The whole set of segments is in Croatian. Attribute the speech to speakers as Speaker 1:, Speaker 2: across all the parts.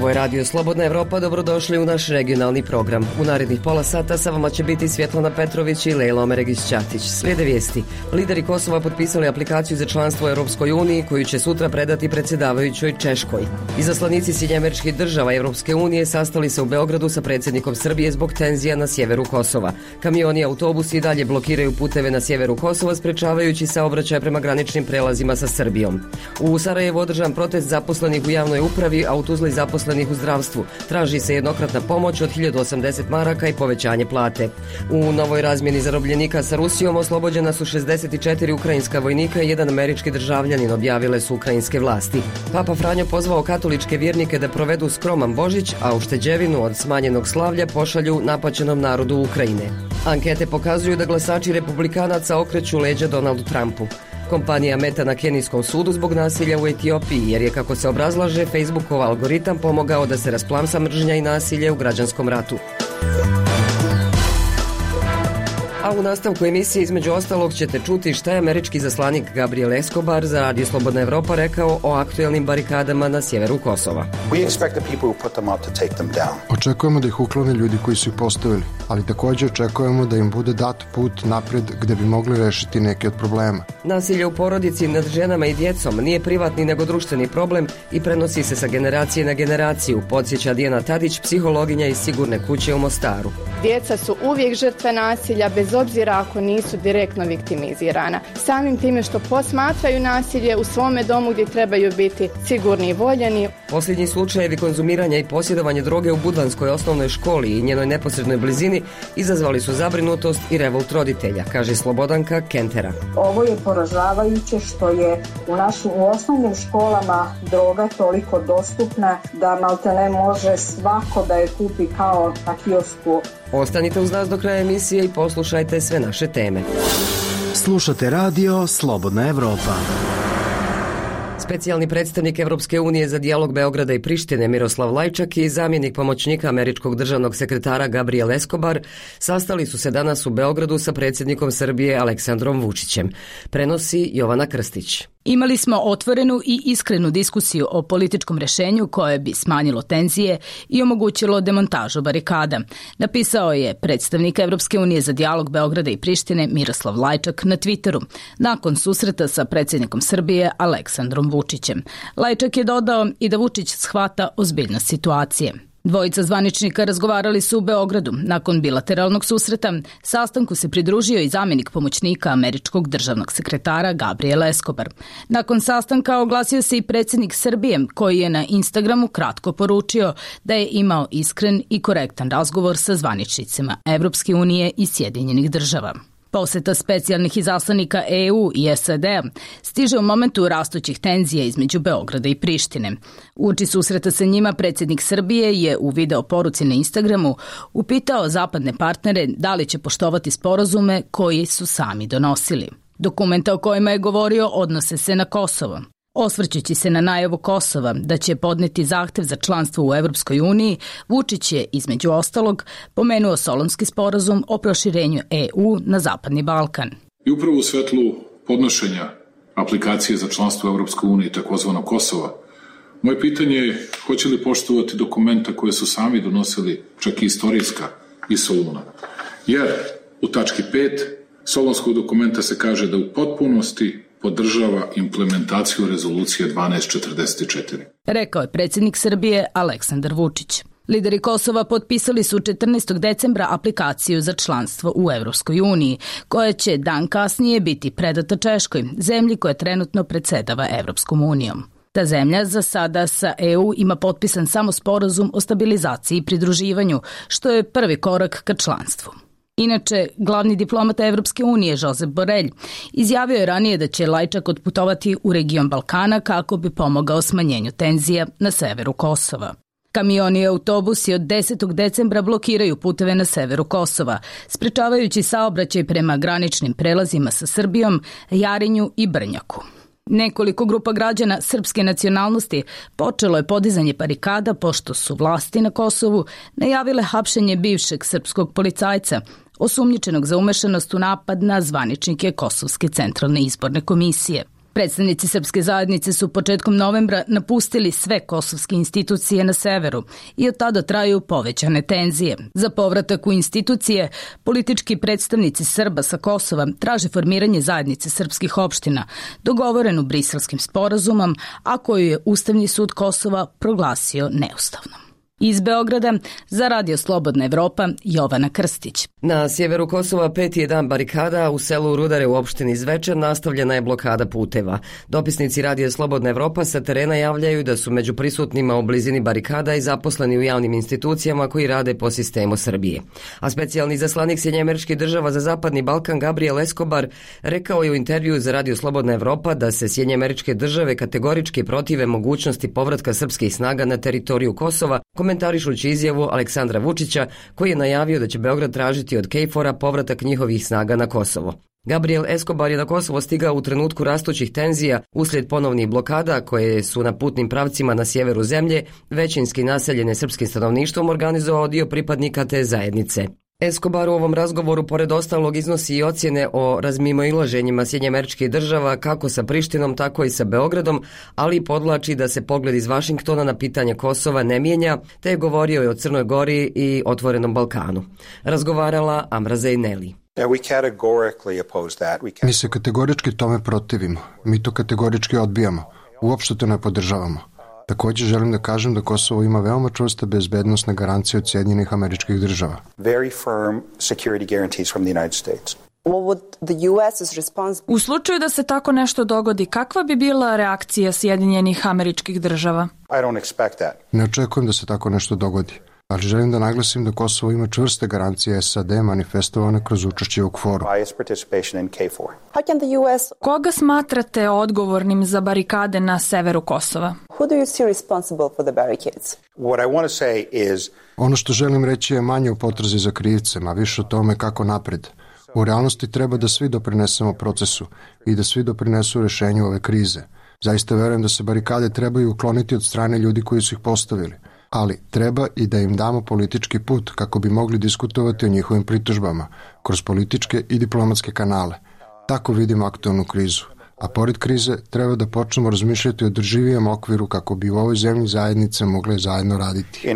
Speaker 1: Ovo je Radio Slobodna Evropa, dobrodošli u naš regionalni program. U narednih pola sata sa vama će biti Svjetlana Petrović i Lejla Omeregić-Ćatić. Slijede vijesti. Lideri Kosova potpisali aplikaciju za članstvo u Europskoj uniji koju će sutra predati predsjedavajućoj Češkoj. Izaslanici Sjedinjenih Država Europske unije sastali se u Beogradu sa predsjednikom Srbije zbog tenzija na sjeveru Kosova. Kamioni i autobusi dalje blokiraju puteve na sjeveru Kosova, sprečavajući saobraćaj prema graničnim prelazima sa Srbijom. U Sarajevu održan protest zaposlenih u javnoj upravi, a u Tuzli zaposlenih u zdravstvu. Traži se jednokratna pomoć od 1080 maraka i povećanje plate. U novoj razmjeni zarobljenika sa Rusijom oslobođena su 64 ukrajinska vojnika i jedan američki državljanin, objavile su ukrajinske vlasti. Papa Franjo pozvao katoličke vjernike da provedu skroman Božić, a ušteđevinu od smanjenog slavlja pošalju napaćenom narodu Ukrajine. Ankete pokazuju da glasači republikanaca okreću leđa Donaldu Trumpu. Kompanija Meta na kenijskom sudu zbog nasilja u Etiopiji, jer je, kako se obrazlaže, Facebookov algoritam pomogao da se rasplamsa mržnja i nasilje u građanskom ratu. A u nastavku emisije između ostalog ćete čuti šta je američki zaslanik Gabriel Escobar za Radio Slobodna Evropa rekao o aktuelnim barikadama na sjeveru Kosova.
Speaker 2: Očekujemo da ih uklone ljudi koji su ih postavili, ali također očekujemo da im bude dat put napred gde bi mogli rešiti neke od problema.
Speaker 1: Nasilje u porodici nad ženama i djecom nije privatni nego društveni problem i prenosi se sa generacije na generaciju, podsjeća Dijana Tadić, psihologinja iz Sigurne kuće u Mostaru.
Speaker 3: Djeca su uvijek žrtve nasilja, bez obzira ako nisu direktno viktimizirana. Samim time što posmatraju nasilje u svome domu gdje trebaju biti sigurni i voljeni.
Speaker 1: Posljednji slučajevi konzumiranja i posjedovanja droge u Budvanskoj osnovnoj školi i njenoj neposrednoj blizini izazvali su zabrinutost i revolt roditelja, kaže Slobodanka Kentera.
Speaker 4: Ovo je poražavajuće što je u osnovnim školama droga toliko dostupna da maltene može svako da je kupi kao na kiosku.
Speaker 1: Ostanite uz nas do kraja emisije i poslušajte sve naše teme.
Speaker 5: Slušate Radio Slobodna Evropa.
Speaker 1: Specijalni predstavnik Evropske unije za dijalog Beograda i Prištine Miroslav Lajčak i zamjenik pomoćnika američkog državnog sekretara Gabriel Escobar sastali su se danas u Beogradu sa predsjednikom Srbije Aleksandrom Vučićem. Prenosi Jovana Krstić.
Speaker 6: Imali smo otvorenu i iskrenu diskusiju o političkom rješenju koje bi smanjilo tenzije i omogućilo demontažu barikada, napisao je predstavnik Evropske unije za dijalog Beograda i Prištine Miroslav Lajčak na Twitteru nakon susreta sa predsjednikom Srbije Aleksandrom Vučićem. Lajčak je dodao i da Vučić shvata ozbiljnost situacije. Dvojica zvaničnika razgovarali su u Beogradu. Nakon bilateralnog susreta, sastanku se pridružio i zamjenik pomoćnika američkog državnog sekretara Gabriel Escobar. Nakon sastanka oglasio se i predsjednik Srbije, koji je na Instagramu kratko poručio da je imao iskren i korektan razgovor sa zvaničnicima Evropske unije i Sjedinjenih Država. Posjeta specijalnih izaslanika EU i SAD-a stiže u momentu rastućih tenzija između Beograda i Prištine. Uoči susreta sa njima predsjednik Srbije je u video poruci na Instagramu upitao zapadne partnere da li će poštovati sporazume koji su sami donosili. Dokumenta o kojima je govorio odnose se na Kosovo. Osvrćući se na najavu Kosova da će podneti zahtev za članstvo u Evropskoj uniji, Vučić je, između ostalog, pomenuo Solunski sporazum o proširenju EU na Zapadni Balkan.
Speaker 7: I upravo u svetlu podnošenja aplikacije za članstvo u Evropskoj uniji, takozvano Kosova, moje pitanje je hoće li poštovati dokumenta koje su sami donosili, čak i istorijska, iz Soluna. Jer u tački 5 Solunskog dokumenta se kaže da u potpunosti podržava implementaciju rezolucije 1244.
Speaker 6: Rekao je predsjednik Srbije Aleksandar Vučić. Lideri Kosova potpisali su 14. decembra aplikaciju za članstvo u Evropskoj uniji, koja će dan kasnije biti predata Češkoj, zemlji koja trenutno predsjedava Evropskom unijom. Ta zemlja za sada sa EU ima potpisan samo sporazum o stabilizaciji i pridruživanju, što je prvi korak ka članstvu. Inače, glavni diplomata Evropske unije, Josep Borrell, izjavio je ranije da će Lajčak otputovati u region Balkana kako bi pomogao smanjenju tenzija na severu Kosova. Kamioni i autobusi od 10. decembra blokiraju puteve na severu Kosova, sprečavajući saobraćaj prema graničnim prelazima sa Srbijom, Jarinju i Brnjaku. Nekoliko grupa građana srpske nacionalnosti počelo je podizanje barikada pošto su vlasti na Kosovu najavile hapšenje bivšeg srpskog policajca, osumnjičenog za umešanost u napad na zvaničnike Kosovske centralne izborne komisije. Predstavnici srpske zajednice su početkom novembra napustili sve kosovske institucije na severu i od tada traju povećane tenzije. Za povratak u institucije, politički predstavnici Srba sa Kosova traže formiranje zajednice srpskih opština, dogovorenu Briselskim sporazumom, a koju je Ustavni sud Kosova proglasio neustavnom. Iz Beograda za Radio Slobodna Evropa, Jovana Krstić.
Speaker 1: Na sjeveru Kosova 5. dan barikada, u selu Rudare u opštini Zvečan nastavljena je blokada puteva. Dopisnici Radio Slobodna Evropa sa terena javljaju da su među prisutnima u blizini barikada i zaposleni u javnim institucijama koji rade po sistemu Srbije. A specijalni izaslanik Sjedinjenih Država za Zapadni Balkan Gabriel Escobar rekao je u intervjuu za Radio Slobodna Evropa da se Sjedinjene Države kategorički protive mogućnosti povratka srpskih snaga na teritoriju Kosova, komentarišući izjavu Aleksandra Vučića koji je najavio da će Beograd tražiti od KFOR-a povratak njihovih snaga na Kosovo. Gabriel Escobar je na Kosovo stigao u trenutku rastućih tenzija uslijed ponovnih blokada koje su na putnim pravcima na sjeveru zemlje, većinski naseljene srpskim stanovništvom, organizovao dio pripadnika te zajednice. Escobar u ovom razgovoru pored ostalog iznosi i ocjene o razmimoilaženjima Sjedinjenih Država kako sa Prištinom, tako i sa Beogradom, ali podvlači da se pogled iz Vašingtona na pitanje Kosova ne mijenja, te je govorio i o Crnoj Gori i Otvorenom Balkanu. Razgovarala Amra Zejneli.
Speaker 2: Mi se kategorički tome protivimo. Mi to kategorički odbijamo. Uopšte to ne podržavamo. Također želim da kažem da Kosovo ima veoma čvrste bezbednosne garancije od Sjedinjenih Američkih Država.
Speaker 8: U slučaju da se tako nešto dogodi, kakva bi bila reakcija Sjedinjenih Američkih Država?
Speaker 2: Ne očekujem da se tako nešto dogodi, ali želim da naglasim da Kosovo ima čvrste garancije SAD manifestovane kroz učešće u KFOR-u.
Speaker 8: Koga smatrate odgovornim za barikade na severu Kosova?
Speaker 2: Ono što želim reći je manje u potrazi za krivcem, a više o tome kako napred. U realnosti treba da svi doprinesemo procesu i da svi doprinesu rešenju ove krize. Zaista verujem da se barikade trebaju ukloniti od strane ljudi koji su ih postavili, ali treba i da im damo politički put kako bi mogli diskutovati o njihovim pritužbama kroz političke i diplomatske kanale. Tako vidimo aktualnu krizu. A pored krize treba da počnemo razmišljati o održivijem okviru kako bi u ovoj zemlji zajednice mogle zajedno raditi.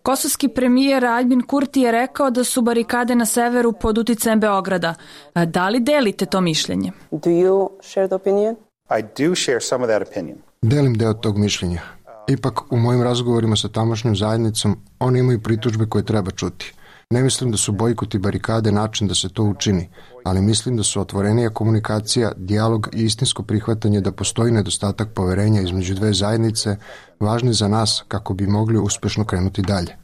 Speaker 8: Kosovski premijer Aljbin Kurti je rekao da su barikade na severu pod uticajem Beograda. Da li delite to mišljenje?
Speaker 2: Delim deo tog mišljenja. Ipak, u mojim razgovorima sa tamošnjom zajednicom, oni imaju pritužbe koje treba čuti. Ne mislim da su bojkoti barikade način da se to učini, ali mislim da su otvorenija komunikacija, dijalog i istinsko prihvatanje da postoji nedostatak poverenja između dve zajednice važni za nas kako bi mogli uspešno krenuti dalje.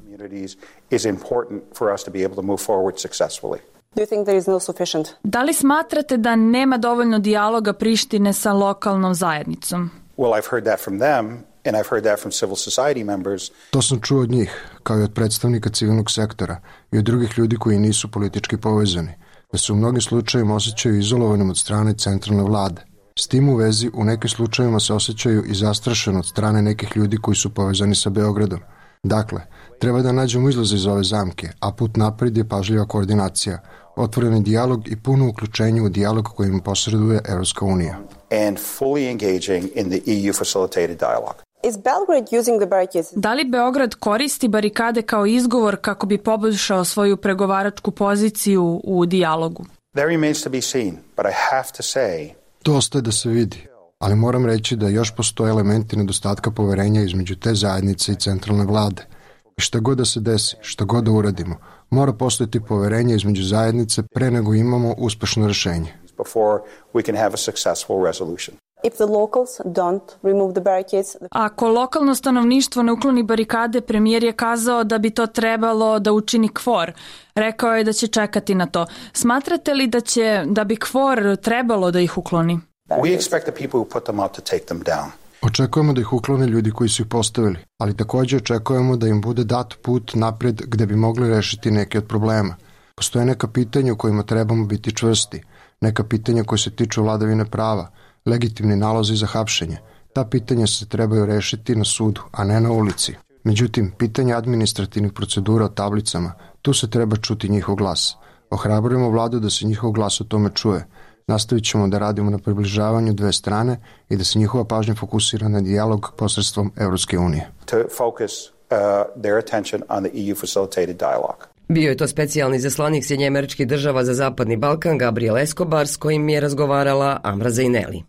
Speaker 8: Da li smatrate da nema dovoljno dijaloga Prištine sa lokalnom zajednicom?
Speaker 2: To sam čuo od njih, kao i od predstavnika civilnog sektora i od drugih ljudi koji nisu politički povezani, da se u mnogim slučajevima osjećaju izolovanim od strane centralne vlade. S tim u vezi, u nekim slučajevima se osjećaju i zastrašeno od strane nekih ljudi koji su povezani sa Beogradom. Dakle, treba da nađemo izlaz iz ove zamke, a put napred je pažljiva koordinacija, otvoreni dijalog i puno uključenje u dijalog kojim posreduje Evropska unija.
Speaker 8: Da li Beograd koristi barikade kao izgovor kako bi poboljšao svoju pregovaračku poziciju u dijalogu?
Speaker 2: To ostaje da se vidi, ali moram reći da još postoje elementi nedostatka poverenja između te zajednice i centralne vlade. I šta god da se desi, šta god da uradimo, mora postojati poverenje između zajednice pre nego imamo uspešno rešenje.
Speaker 8: Ako lokalno stanovništvo ne ukloni barikade, premijer je kazao da bi to trebalo da učini KFOR. Rekao je da će čekati na to. Smatrate li da bi KFOR trebalo da ih ukloni?
Speaker 2: Očekujemo da ih uklone ljudi koji su ih postavili, ali također očekujemo da im bude dat put napred gde bi mogli rešiti neke od problema. Postoje neka pitanja u kojima trebamo biti čvrsti, neka pitanja koje se tiču vladavine prava, legitimni nalozi za hapšenje. Ta pitanja se trebaju rešiti na sudu, a ne na ulici. Međutim, pitanja administrativnih procedura o tablicama, tu se treba čuti njihov glas. Ohrabrujemo vladu da se njihov glas o tome čuje. Nastavit ćemo da radimo na približavanju dve strane i da se njihova pažnja fokusira na dijalog posredstvom Evropske unije.
Speaker 1: Bio je to specijalni izaslanik Sjedinjenih Država za Zapadni Balkan Gabriel Escobar, s kojim je razgovarala Amra Zejneli.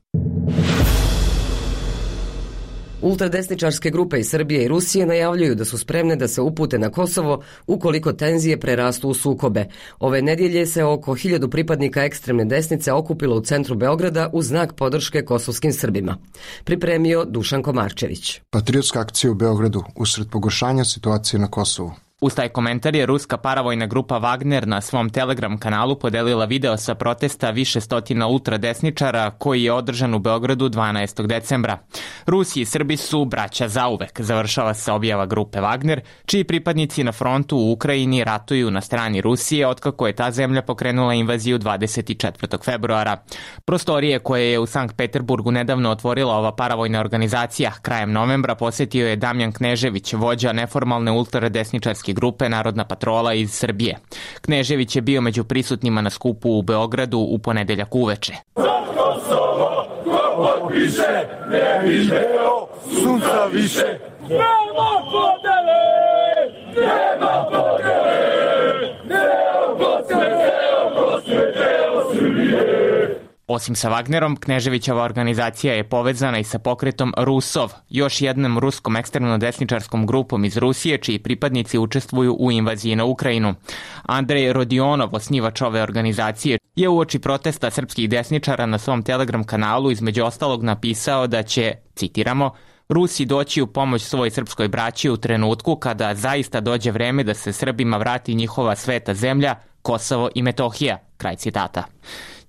Speaker 1: Ultradesničarske grupe iz Srbije i Rusije najavljuju da su spremne da se upute na Kosovo ukoliko tenzije prerastu u sukobe. Ove nedjelje se oko 1000 pripadnika ekstremne desnice okupilo u centru Beograda u znak podrške kosovskim Srbima. Pripremio Dušan Komarčević.
Speaker 2: Patriotska akcija u Beogradu usred pogoršanja situacije na Kosovu.
Speaker 9: Uz taj komentar je ruska paravojna grupa Wagner na svom Telegram kanalu podelila video sa protesta više stotina ultradesničara koji je održan u Beogradu 12. decembra. Rusi i Srbi su braća zauvek, završava se objava grupe Wagner, čiji pripadnici na frontu u Ukrajini ratuju na strani Rusije otkako je ta zemlja pokrenula invaziju 24. februara. Prostorije koje je u Sankt Peterburgu nedavno otvorila ova paravojna organizacija krajem novembra posjetio je Damjan Knežević, vođa neformalne ultradesničarske grupe Narodna patrola iz Srbije. Knežević je bio među prisutnima na skupu u Beogradu u ponedeljak uveče.
Speaker 10: Za Kosovo, ko više, ne video, sunca više. Nema podele, nema podele, deo Bosne, deo Srbije.
Speaker 9: Osim sa Wagnerom, Kneževićeva organizacija je povezana i sa pokretom Rusov, još jednom ruskom ekstremno-desničarskom grupom iz Rusije, čiji pripadnici učestvuju u invaziji na Ukrajinu. Andrej Rodionov, osnivač ove organizacije, je uoči protesta srpskih desničara na svom Telegram kanalu između ostalog napisao da će, citiramo, Rusi doći u pomoć svoj srpskoj braći u trenutku kada zaista dođe vreme da se Srbima vrati njihova sveta zemlja, Kosovo i Metohija, kraj citata.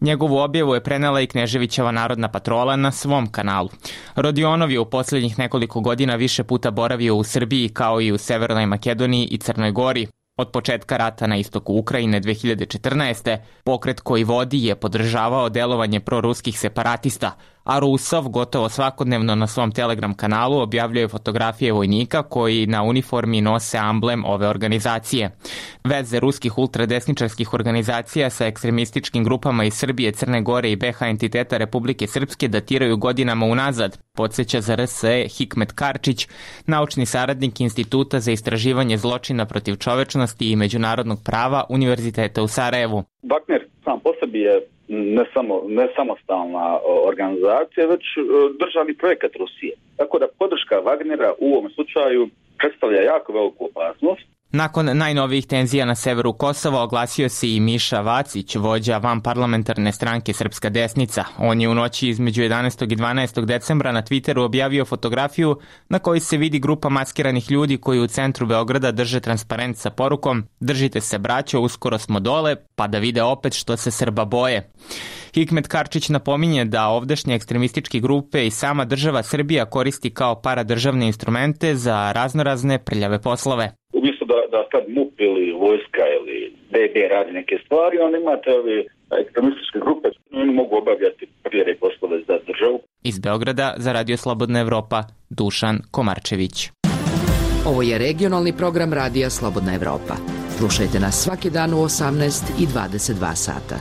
Speaker 9: Njegovu objavu je prenela i Kneževićeva Narodna patrola na svom kanalu. Rodionov je u posljednjih nekoliko godina više puta boravio u Srbiji kao i u Severnoj Makedoniji i Crnoj Gori. Od početka rata na istoku Ukrajine 2014. pokret koji vodi je podržavao delovanje proruskih separatista, a Rusov gotovo svakodnevno na svom Telegram kanalu objavljuje fotografije vojnika koji na uniformi nose amblem ove organizacije. Veze ruskih ultradesničarskih organizacija sa ekstremističkim grupama iz Srbije, Crne Gore i BiH entiteta Republike Srpske datiraju godinama unazad, podsjeća za RSE Hikmet Karčić, naučni saradnik Instituta za istraživanje zločina protiv čovečnosti i međunarodnog prava Univerziteta u Sarajevu.
Speaker 11: Wagner sam po sebi je ne samostalna organizacija, već državni projekat Rusije. Tako da podrška Wagnera u ovom slučaju predstavlja jako veliku opasnost.
Speaker 9: Nakon najnovijih tenzija na severu Kosova oglasio se i Miša Vacić, vođa vanparlamentarne stranke Srpska desnica. On je u noći između 11. i 12. decembra na Twitteru objavio fotografiju na kojoj se vidi grupa maskiranih ljudi koji u centru Beograda drže transparent sa porukom "Držite se braćo, uskoro smo dole, pa da vide opet što se Srba boje." Hikmet Karčić napominje da ovdašnje ekstremističke grupe i sama država Srbija koristi kao paradržavne instrumente za raznorazne prljave poslove.
Speaker 11: Umjesto da sad MUP ili vojska ili DB radi neke stvari, onda imate ove ekstremističke grupe, oni mogu obavljati prljave poslove za državu.
Speaker 9: Iz Beograda za Radio Slobodna Evropa, Dušan Komarčević.
Speaker 12: Ovo je regionalni program Radija Slobodna Evropa. Slušajte nas svaki dan u 18 i 22 sata.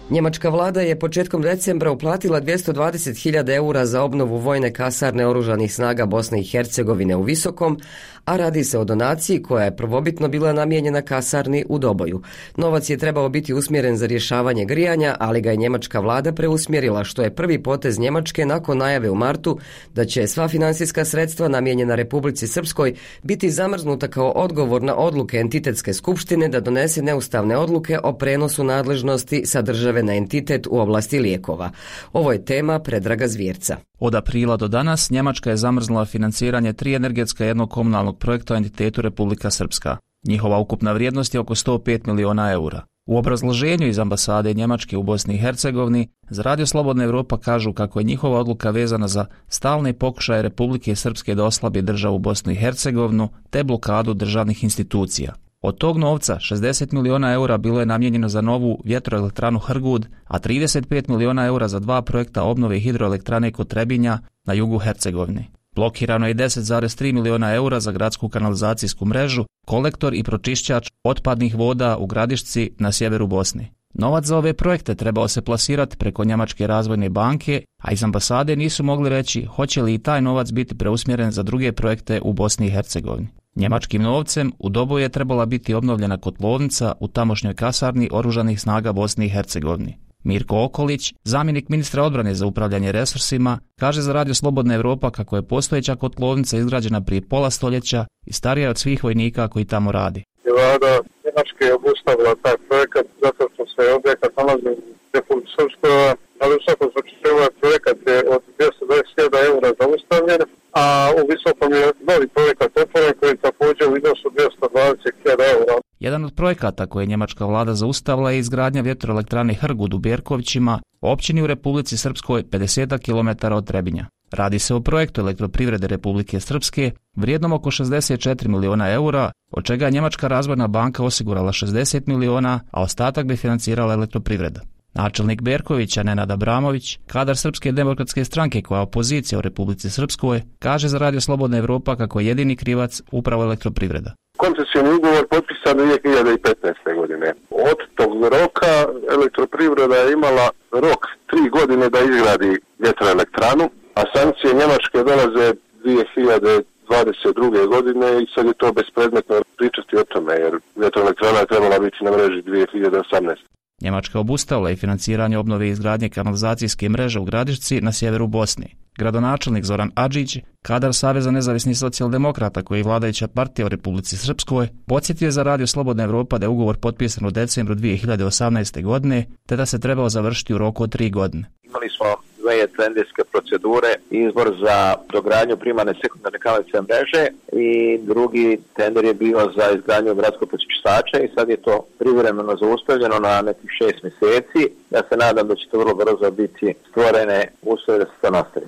Speaker 1: Njemačka vlada je početkom decembra uplatila 220.000 eura za obnovu vojne kasarne oružanih snaga Bosne i Hercegovine u Visokom, a radi se o donaciji koja je prvobitno bila namijenjena kasarni u Doboju. Novac je trebao biti usmjeren za rješavanje grijanja, ali ga je njemačka vlada preusmjerila, što je prvi potez Njemačke nakon najave u martu da će sva financijska sredstva namijenjena Republici Srpskoj biti zamrznuta kao odgovor na odluke entitetske skupštine da donese neustavne odluke o prenosu nadležnosti sa države na entitet u oblasti lijekova. Ovo je tema Predraga Zvjerca.
Speaker 13: Od aprila do danas Njemačka je zamrznula financiranje 3 energetska i jednog komunalnog projekta u entitetu Republika Srpska. Njihova ukupna vrijednost je oko 105 miliona eura. U obrazloženju iz ambasade Njemačke u Bosni i Hercegovini za Radio Slobodna Evropa kažu kako je njihova odluka vezana za stalne pokušaje Republike Srpske da oslabi državu Bosnu i Hercegovinu te blokadu državnih institucija. Od tog novca 60 miliona eura bilo je namijenjeno za novu vjetroelektranu Hrgud, a 35 miliona eura za 2 projekta obnove hidroelektrane kod Trebinja na jugu Hercegovine. Blokirano je 10,3 miliona eura za gradsku kanalizacijsku mrežu, kolektor i pročišćač otpadnih voda u Gradišci na sjeveru Bosne. Novac za ove projekte trebao se plasirati preko Njemačke razvojne banke, a iz ambasade nisu mogli reći hoće li i taj novac biti preusmjeren za druge projekte u Bosni i Hercegovini. Njemačkim novcem u Doboju je trebala biti obnovljena kotlovnica u tamošnjoj kasarni Oružanih snaga Bosne i Hercegovine. Mirko Okolić, zamjenik ministra odbrane za upravljanje resursima, kaže za Radio Slobodna Evropa kako je postojeća kotlovnica izgrađena prije pola stoljeća i starija od svih vojnika koji tamo radi.
Speaker 14: Vlada Njemačke je obustavila taj projekat zato što se objekat nalazi u Republici Srpskoj, ali u svakom slučaju ovaj projekat je od 220.000 eura zaustavljen, a u Visokom je novi projekat otvoren koji je također u iznosu 220.000 eura.
Speaker 13: Jedan od projekata koje je njemačka vlada zaustavila je izgradnja vjetroelektrane Hrgud u Bjerkovićima, općini u Republici Srpskoj 50 km od Trebinja. Radi se o projektu elektroprivrede Republike Srpske vrijednom oko 64 miliona eura, od čega je Njemačka razvojna banka osigurala 60 miliona, a ostatak bi financirala elektroprivreda. Načelnik Berkovića, Nenad Abramović, kadar Srpske demokratske stranke koja je opozicija u Republici Srpskoj, kaže za Radio Slobodna Evropa kako je jedini krivac upravo elektroprivreda.
Speaker 14: Koncesijni ugovor potpisan 2015. godine. Od tog roka elektroprivreda je imala rok 3 godine da izgradi vjetroelektranu, a sankcije Njemačke dolaze 2022. godine i sad je to bespredmetno pričati o tome, jer vjetroelektrana je trebala biti na mreži 2018.
Speaker 13: Njemačka obustavila i financiranje obnove i izgradnje kanalizacijske mreže u Gradišci na sjeveru Bosne. Gradonačelnik Zoran Adžić, kadar Saveza nezavisnih socijaldemokrata koji je vladajuća partija u Republici Srpskoj, podsjetio je za Radio Slobodna Evropa da je ugovor potpisan u decembru 2018. godine, te da se trebao završiti u roku od 3 godine.
Speaker 15: Imali smo dvije tenderske procedure, izbor za dogradnju primarne sekundarne kanalizacijske mreže i drugi tender je bio za izgradnju gradskog pročišćača i sad je to privremeno zaustavljeno na nekih 6 mjeseci. Ja se nadam da će to vrlo brzo biti stvorene uslove da se to nastavi.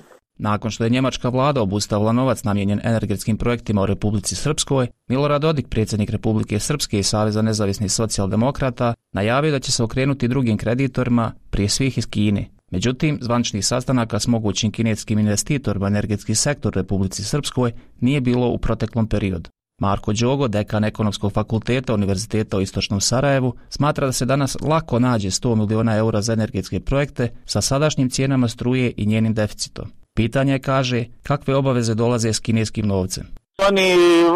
Speaker 13: Nakon što je njemačka vlada obustavila novac namijenjen energetskim projektima u Republici Srpskoj, Milorad Dodik, predsjednik Republike Srpske i Saveza nezavisnih socijaldemokrata, najavio da će se okrenuti drugim kreditorima, prije svih iz Kine. Međutim, zvaničnih sastanaka s mogućim kineskim investitorima energetski sektor Republici Srpskoj nije bilo u proteklom periodu. Marko Đogo, dekan Ekonomskog fakulteta Univerziteta u Istočnom Sarajevu, smatra da se danas lako nađe 100 miliona eura za energetske projekte sa sadašnjim cijenama struje i njenim deficitom. Pitanje je, kaže, kakve obaveze dolaze s kineskim novcem.
Speaker 16: Oni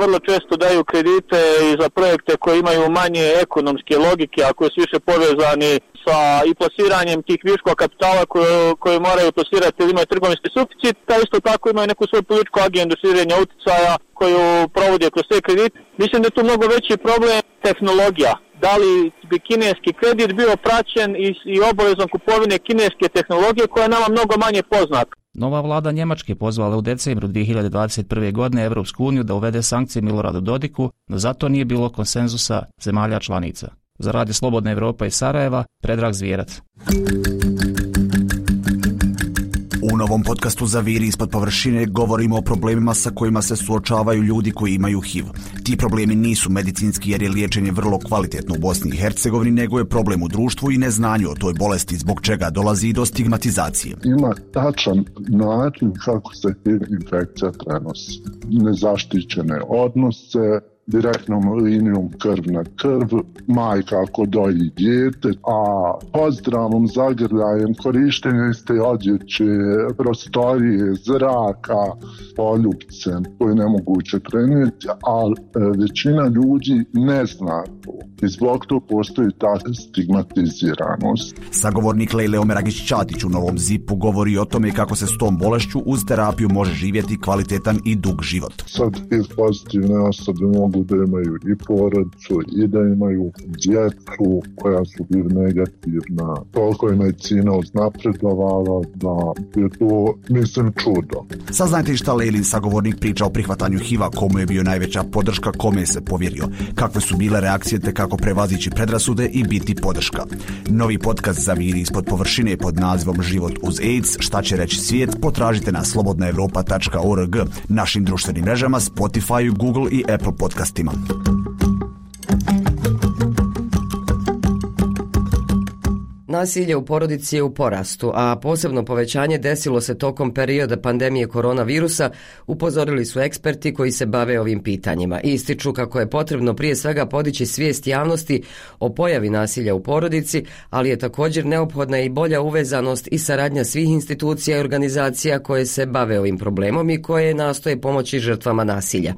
Speaker 16: vrlo često daju kredite i za projekte koji imaju manje ekonomske logike, a koji su više povezani sa i plasiranjem tih viškova kapitala koje moraju plasirati ili imaju trgovinski suficit, a isto tako imaju neku svoju političku agendu širenja uticaja koju provode kroz te kredite. Mislim da je tu mnogo veći problem tehnologija. Da li bi kineski kredit bio praćen i obavezom kupovine kineske tehnologije koja je nama mnogo manje poznata.
Speaker 13: Nova vlada Njemačke pozvala u decembru 2021. godine Evropsku uniju da uvede sankcije Miloradu Dodiku, no zato nije bilo konsenzusa zemalja članica. Za Radio Slobodna Evropa iz Sarajeva, Predrag Zvijerac.
Speaker 17: U novom podcastu Zaviri ispod površine govorimo o problemima sa kojima se suočavaju ljudi koji imaju HIV. Ti problemi nisu medicinski jer je liječenje vrlo kvalitetno u Bosni i Hercegovini, nego je problem u društvu i neznanju o toj bolesti, zbog čega dolazi i do stigmatizacije.
Speaker 18: Ima tačan način kako se HIV infekcija prenosi. Nezaštićene odnose, direktnom linijom krv na krv, majka ako doji dijete, a pozdravnom zagrljajem, korištenje iste odjeće, prostorije, zraka, poljupcem koje je nemoguće prenijeti, ali većina ljudi ne zna to. I zbog to postoji ta stigmatiziranost.
Speaker 17: Sagovornik Lejle Omeragić-Ćatić u Novom Zipu govori o tome kako se s tom bolešću uz terapiju može živjeti kvalitetan i dug život.
Speaker 18: Sad HIV pozitivne osobe mogu da imaju i porodicu i da imaju djecu koja su HIV negativna. Toliko je medicina uznapredovala da je to, mislim, čudo.
Speaker 17: Saznajte šta Lejlin sagovornik priča o prihvatanju HIV-a, komu je bio najveća podrška, kome se povjerio, kakve su bile reakcije te kako prevazići predrasude i biti podrška. Novi podcast Zaviri ispod površine pod nazivom Život uz AIDS, šta će reći svijet, potražite na slobodnaevropa.org, našim društvenim mrežama, Spotify, Google i Apple podcastima.
Speaker 1: Nasilje u porodici je u porastu, a posebno povećanje desilo se tokom perioda pandemije koronavirusa, upozorili su eksperti koji se bave ovim pitanjima. Ističu kako je potrebno prije svega podići svijest javnosti o pojavi nasilja u porodici, ali je također neophodna i bolja uvezanost i saradnja svih institucija i organizacija koje se bave ovim problemom i koje nastoje pomoći žrtvama nasilja.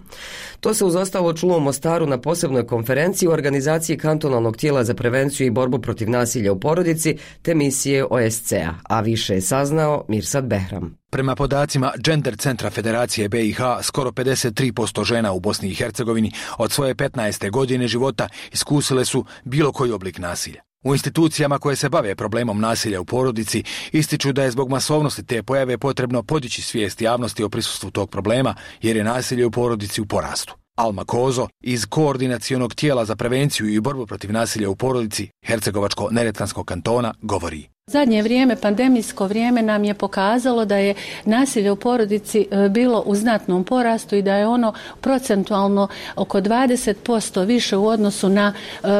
Speaker 1: To se uz ostalo čulo u Mostaru na posebnoj konferenciji u organizaciji kantonalnog tijela za prevenciju i borbu protiv nasilja u porodici te misije OSCE-a, a više je saznao Mirsad Behram.
Speaker 19: Prema podacima Gender centra Federacije BiH, skoro 53% žena u Bosni i Hercegovini od svoje 15. godine života iskusile su bilo koji oblik nasilja. U institucijama koje se bave problemom nasilja u porodici ističu da je zbog masovnosti te pojave potrebno podići svijest javnosti o prisustvu tog problema jer je nasilje u porodici u porastu. Alma Kozo iz Koordinacionog tijela za prevenciju i borbu protiv nasilja u porodici Hercegovačko-Neretvanskog kantona govori.
Speaker 20: Zadnje vrijeme, pandemijsko vrijeme nam je pokazalo da je nasilje u porodici bilo u znatnom porastu i da je ono procentualno oko 20% više u odnosu na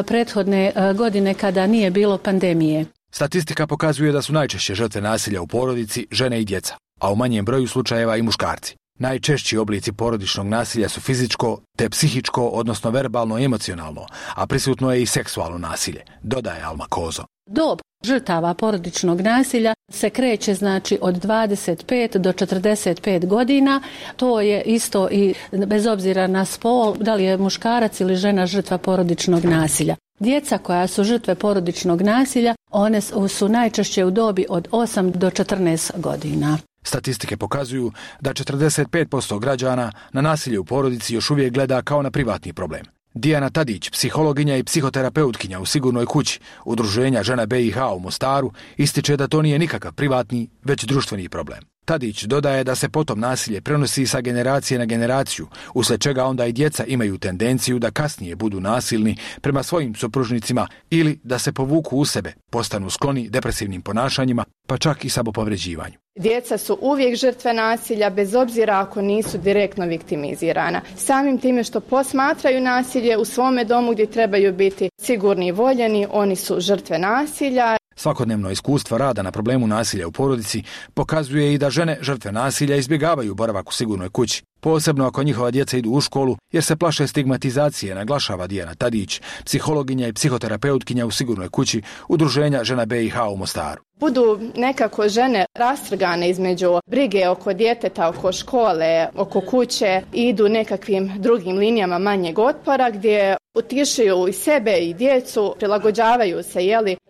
Speaker 20: prethodne godine kada nije bilo pandemije.
Speaker 19: Statistika pokazuje da su najčešće žrtve nasilja u porodici žene i djeca, a u manjem broju slučajeva i muškarci. Najčešći oblici porodičnog nasilja su fizičko te psihičko, odnosno verbalno i emocionalno, a prisutno je i seksualno nasilje, dodaje Alma Kozo.
Speaker 20: Dob žrtava porodičnog nasilja se kreće znači od 25 do 45 godina. To je isto i bez obzira na spol, da li je muškarac ili žena žrtva porodičnog nasilja. Djeca koja su žrtve porodičnog nasilja, one su najčešće u dobi od 8 do 14 godina.
Speaker 19: Statistike pokazuju da 45% građana na nasilje u porodici još uvijek gleda kao na privatni problem. Dijana Tadić, psihologinja i psihoterapeutkinja u Sigurnoj kući Udruženja žena BiH u Mostaru, ističe da to nije nikakav privatni, već društveni problem. Tadić dodaje da se potom nasilje prenosi sa generacije na generaciju, uslijed čega onda i djeca imaju tendenciju da kasnije budu nasilni prema svojim supružnicima ili da se povuku u sebe, postanu skloni depresivnim ponašanjima, pa čak i samopovređivanju.
Speaker 3: Djeca su uvijek žrtve nasilja, bez obzira ako nisu direktno viktimizirana. Samim time što posmatraju nasilje u svome domu gdje trebaju biti sigurni i voljeni, oni su žrtve nasilja.
Speaker 19: Svakodnevno iskustvo rada na problemu nasilja u porodici pokazuje i da žene žrtve nasilja izbjegavaju boravak u sigurnoj kući, posebno ako njihova djeca idu u školu jer se plaše stigmatizacije, naglašava Dijana Tadić, psihologinja i psihoterapeutkinja u Sigurnoj kući Udruženja žena BiH u Mostaru.
Speaker 3: Budu nekako žene rastrgane između brige oko djeteta, oko škole, oko kuće, idu nekakvim drugim linijama manjeg otpora gdje utišuju i sebe i djecu, prilagođavaju se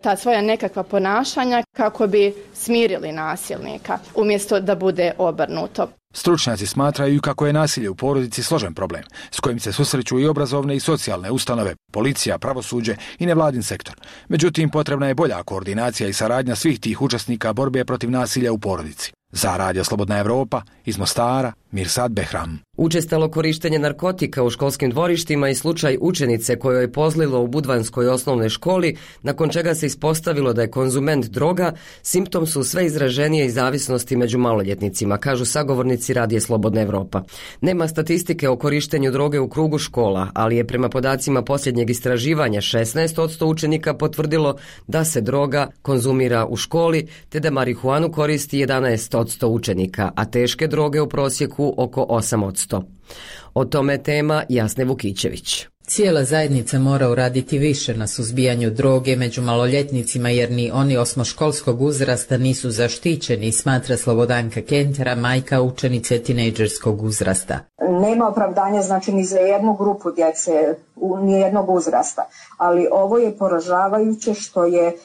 Speaker 3: ta svoja nekakva ponašanja kako bi smirili nasilnika, umjesto da bude obrnuto.
Speaker 19: Stručnjaci smatraju kako je nasilje u porodici složen problem, s kojim se susreću i obrazovne i socijalne ustanove, policija, pravosuđe i nevladin sektor. Međutim, potrebna je bolja koordinacija i saradnja svih tih učesnika borbe protiv nasilja u porodici. Za Radio Slobodna Evropa, iz Mostara, Mirsad Behram.
Speaker 1: Učestalo korištenje narkotika u školskim dvorištima i slučaj učenice kojoj je pozlilo u Budvanskoj osnovnoj školi, nakon čega se ispostavilo da je konzument droga, simptom su sve izraženije i zavisnosti među maloljetnicima, kažu sagovornici Radija Slobodna Evropa. Nema statistike o korištenju droge u krugu škola, ali je prema podacima posljednjeg istraživanja 16% učenika potvrdilo da se droga konzumira u školi, te da marihuanu koristi 11% učenika, a teške droge u prosjeku oko 8%. O tome tema Jasne Vukićević.
Speaker 21: Cijela zajednica mora uraditi više na suzbijanju droge među maloljetnicima jer ni oni osmoškolskog uzrasta nisu zaštićeni, smatra Slobodanka Kentera, majka učenice tinejdžerskog uzrasta.
Speaker 4: Nema opravdanja znači ni za jednu grupu djece, ni jednog uzrasta, ali ovo je poražavajuće što je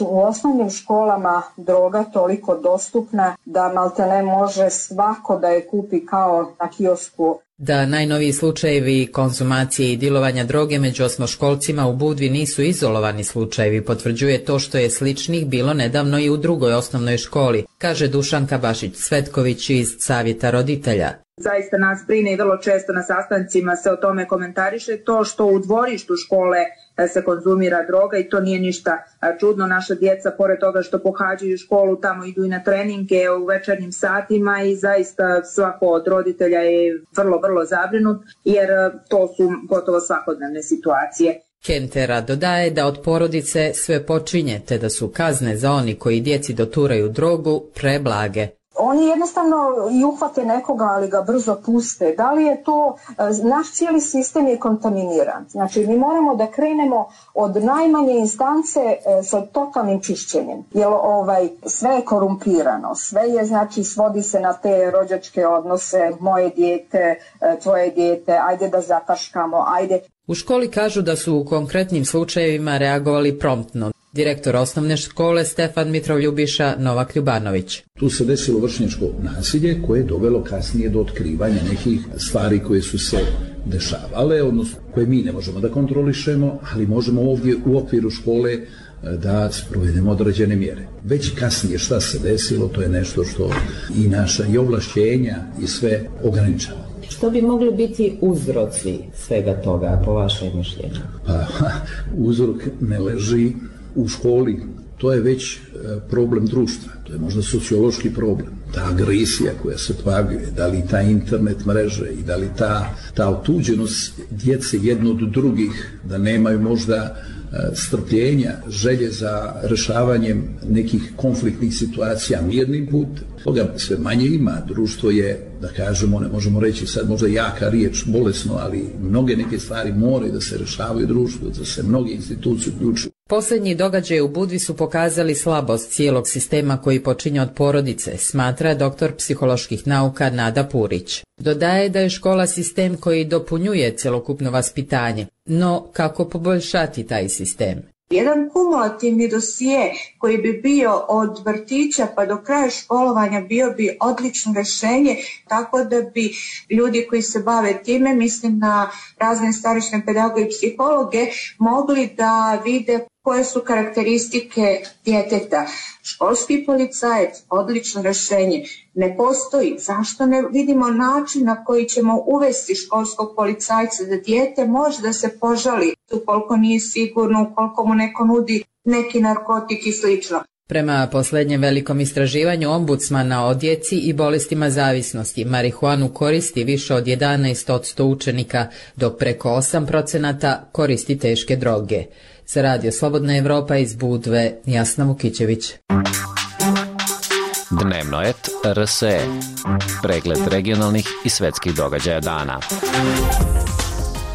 Speaker 4: u osnovnim školama droga toliko dostupna da maltene može svako da je kupi kao na kiosku.
Speaker 21: Da najnoviji slučajevi konzumacije i dilovanja droge među osmoškolcima u Budvi nisu izolovani slučajevi, potvrđuje to što je sličnih bilo nedavno i u drugoj osnovnoj školi, kaže Dušanka Bašić-Svetković iz Savjeta roditelja.
Speaker 22: Zaista nas brine i vrlo često na sastancima se o tome komentariše to što u dvorištu škole se konzumira droga i to nije ništa čudno. Naša djeca, pored toga što pohađaju školu, tamo idu i na treninge u večernjim satima i zaista svako od roditelja je vrlo zabrinut jer to su gotovo svakodnevne situacije.
Speaker 21: Kentera dodaje da od porodice sve počinje, te da su kazne za oni koji djeci doturaju drogu preblage.
Speaker 4: Oni jednostavno i uhvate nekoga, ali ga brzo puste. Da li je to, naš cijeli sistem je kontaminiran. Znači, mi moramo da krenemo od najmanje instance sa totalnim čišćenjem. Jer sve je korumpirano, sve je, znači, svodi se na te rođačke odnose, moje dijete, tvoje dijete, ajde da zataškamo, ajde.
Speaker 21: U školi kažu da su u konkretnim slučajevima reagovali promptno. Direktor osnovne škole Stefan Mitrov-Ljubiša Novak Ljubanović.
Speaker 5: Tu se desilo vršnjačko nasilje koje je dovelo kasnije do otkrivanja nekih stvari koje su se dešavale, odnosno koje mi ne možemo da kontrolišemo, ali možemo ovdje u okviru škole da sprovedemo određene mjere. Već kasnije šta se desilo, to je nešto što i naša i ovlašćenja i sve ograničava.
Speaker 21: Što bi mogli biti uzroci svega toga, po vašem mišljenju?
Speaker 5: Uzrok ne leži u školi, to je već problem društva, to je možda sociološki problem. Ta agresija koja se pojavljuje, da li ta internet mreže i da li ta otuđenost djece jedno od drugih, da nemaju možda strpljenja, želje za rešavanjem nekih konfliktnih situacija mirnim putem. Toga sve manje ima. Društvo je, da kažemo, ne možemo reći sad možda jaka riječ, bolesno, ali mnoge neke stvari moraju da se rešavaju društvu, da se mnoge institucije uključuju.
Speaker 21: Posljednji događaji u Budvi su pokazali slabost cijelog sistema koji počinje od porodice, smatra doktor psiholoških nauka Nada Purić. Dodaje da je škola sistem koji dopunjuje cjelokupno vaspitanje, no kako poboljšati taj sistem?
Speaker 22: Jedan kumulativni dosije koji bi bio od vrtića pa do kraja školovanja bio bi odlično rješenje, tako da bi ljudi koji se bave time, mislim na razne starešne pedagoge i psihologe, mogli da vide koje su karakteristike djeteta. Školski policajac, odlično rješenje, ne postoji. Zašto ne vidimo način na koji ćemo uvesti školskog policajca da dijete može da se požali ukoliko nije sigurno, ukoliko mu neko nudi neki narkotik i slično.
Speaker 21: Prema posljednjem velikom istraživanju ombudsmana o djeci i bolestima zavisnosti, marihuanu koristi više od 11% učenika, dok preko 8% koristi teške droge. Za Radio Slobodna Evropa iz Budve, Jasna Vukićević.
Speaker 7: Dnevno et RSE. Pregled regionalnih i svetskih događaja dana.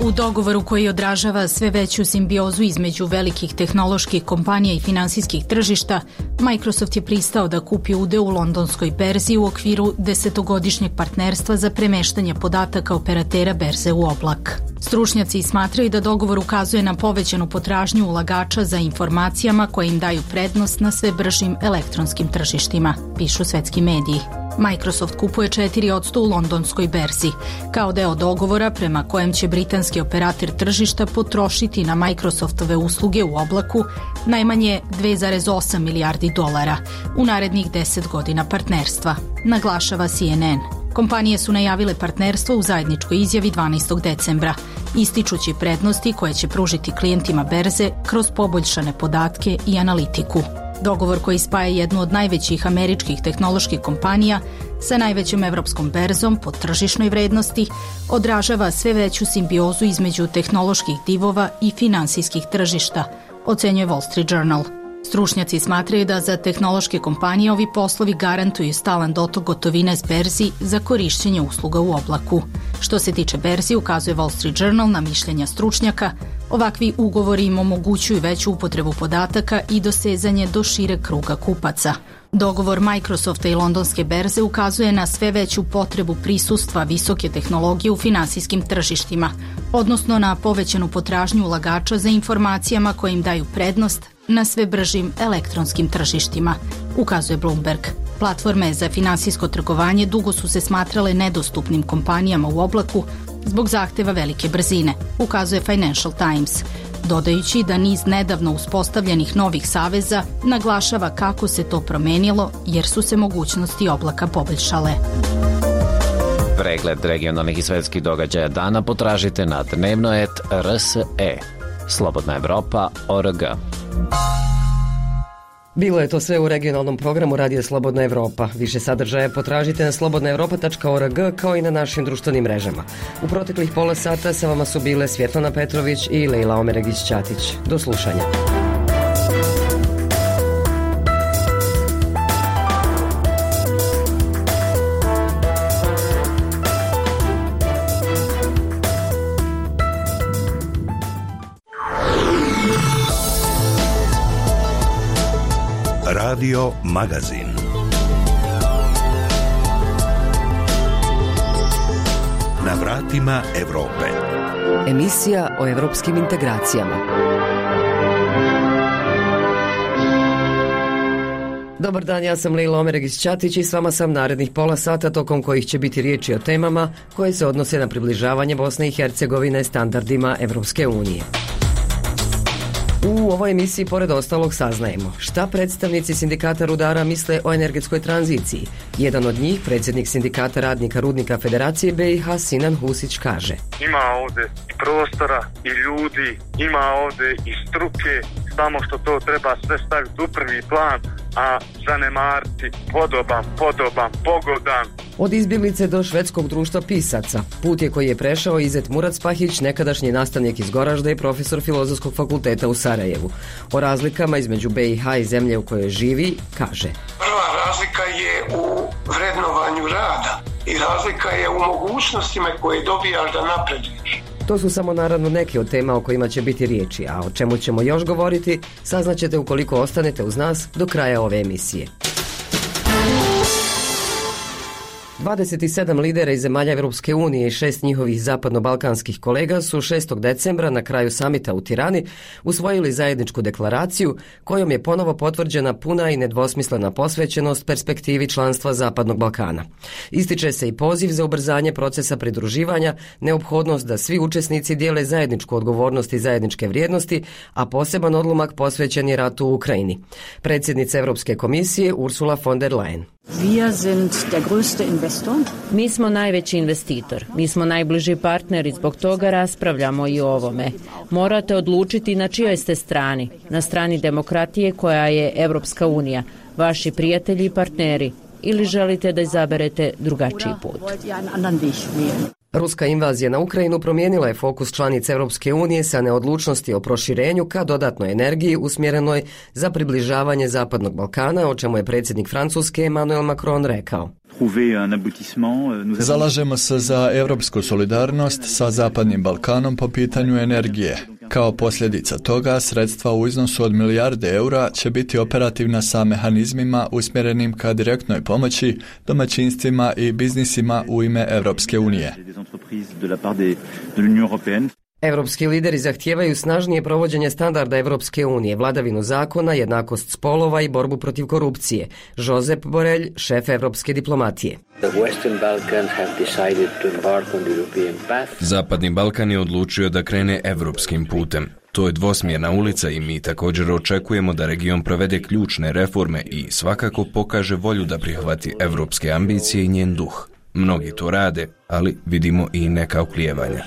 Speaker 6: U dogovoru koji odražava sve veću simbiozu između velikih tehnoloških kompanija i finansijskih tržišta, Microsoft je pristao da kupi udeo u londonskoj berzi u okviru 10-godišnjeg partnerstva za premeštanje podataka operatera berze u oblak. Stručnjaci smatraju da dogovor ukazuje na povećanu potražnju ulagača za informacijama koje im daju prednost na sve bržim elektronskim tržištima, pišu svetski mediji. Microsoft kupuje 4% u londonskoj berzi, kao deo dogovora prema kojem će britanski operator tržišta potrošiti na Microsoftove usluge u oblaku najmanje 2,8 milijardi dolara u narednih 10 godina partnerstva, naglašava CNN. Kompanije su najavile partnerstvo u zajedničkoj izjavi 12. decembra, ističući prednosti koje će pružiti klijentima berze kroz poboljšane podatke i analitiku. Dogovor koji spaja jednu od najvećih američkih tehnoloških kompanija sa najvećom evropskom berzom po tržišnoj vrednosti odražava sve veću simbiozu između tehnoloških divova i finansijskih tržišta, ocenjuje Wall Street Journal. Stručnjaci smatraju da za tehnološke kompanije ovi poslovi garantuju stalan dotok gotovine s berzi za korišćenje usluga u oblaku. Što se tiče berzi, ukazuje Wall Street Journal na mišljenja stručnjaka, ovakvi ugovori im omogućuju veću upotrebu podataka i dosezanje do šire kruga kupaca. Dogovor Microsofta i londonske berze ukazuje na sve veću potrebu prisustva visoke tehnologije u finansijskim tržištima, odnosno na povećanu potražnju ulagača za informacijama koje im daju prednost na sve bržim elektronskim tržištima, ukazuje Bloomberg. Platforme za finansijsko trgovanje dugo su se smatrale nedostupnim kompanijama u oblaku zbog zahteva velike brzine, ukazuje Financial Times, dodajući da niz nedavno uspostavljenih novih saveza naglašava kako se to promenilo jer su se mogućnosti oblaka poboljšale.
Speaker 7: Pregled regionalnih i svetskih događaja dana potražite na dnevnoet.rs.e. Slobodna Evropa.org.
Speaker 1: Bilo je to sve u regionalnom programu Radija Slobodna Evropa. Više sadržaja potražite na slobodnaevropa.org kao i na našim društvenim mrežama. U proteklih pola sata sa vama su bile Svjetlana Petrović i Lejla Omeregić-Ćatić. Do slušanja.
Speaker 2: Radio Magazin. Na vratima Evrope.
Speaker 1: Emisija o evropskim integracijama. Dobar dan, ja sam Lejla Omeregić-Ćatić i s vama sam narednih pola sata tokom kojih će biti riječi o temama koje se odnose na približavanje Bosne i Hercegovine standardima Evropske unije. U ovoj emisiji pored ostalog saznajemo šta predstavnici sindikata rudara misle o energetskoj tranziciji. Jedan od njih, predsjednik sindikata radnika Rudnika Federacije BiH Sinan Husić, kaže:
Speaker 8: Ima ovdje i prostora i ljudi, ima ovdje i struke, samo što to treba sve staviti u prvi plan, a zanemariti podoban, pogodan.
Speaker 1: Od izbjeglice do švedskog društva pisaca. Put je koji je prešao Izet Murat-Spahić, nekadašnji nastavnik iz Goražda i profesor Filozofskog fakulteta u Sarajevu. O razlikama između BiH i zemlje u kojoj živi, kaže:
Speaker 23: Prva razlika je u vrednovanju rada i razlika je u mogućnostima koje dobijaš da napreduješ.
Speaker 1: To su samo naravno neke od tema o kojima će biti riječi, a o čemu ćemo još govoriti saznaćete ukoliko ostanete uz nas do kraja ove emisije. 27 lidera iz zemalja Evropske unije i 6 njihovih zapadno-balkanskih kolega su 6. decembra na kraju samita u Tirani usvojili zajedničku deklaraciju kojom je ponovo potvrđena puna i nedvosmislena posvećenost perspektivi članstva Zapadnog Balkana. Ističe se i poziv za ubrzanje procesa pridruživanja, neophodnost da svi učesnici dijele zajedničku odgovornost i zajedničke vrijednosti, a poseban odlomak posvećen je ratu u Ukrajini. Predsjednica Europske komisije Ursula von der Leyen:
Speaker 24: Mi smo najveći investitor, mi smo najbliži partneri, zbog toga raspravljamo i o ovome. Morate odlučiti na čijoj ste strani, na strani demokratije koja je Evropska unija, vaši prijatelji i partneri, ili želite da izaberete drugačiji put.
Speaker 1: Ruska invazija na Ukrajinu promijenila je fokus članica Europske unije sa neodlučnosti o proširenju ka dodatnoj energiji usmjerenoj za približavanje Zapadnog Balkana, o čemu je predsjednik Francuske Emmanuel Macron rekao:
Speaker 25: Zalažemo se za europsku solidarnost sa Zapadnim Balkanom po pitanju energije. Kao posljedica toga, sredstva u iznosu od milijarde eura će biti operativna sa mehanizmima usmjerenim ka direktnoj pomoći domaćinstvima i biznisima u ime Europske unije.
Speaker 1: Europski lideri zahtijevaju snažnije provođenje standarda Europske unije, vladavinu zakona, jednakost spolova i borbu protiv korupcije. Josep Borrell, šef europske diplomatije:
Speaker 26: Zapadni Balkan je odlučio da krene europskim putem. To je dvosmjerna ulica i mi također očekujemo da region provede ključne reforme i svakako pokaže volju da prihvati europske ambicije i njen duh. Mnogi to rade, ali vidimo i neka oklijevanja.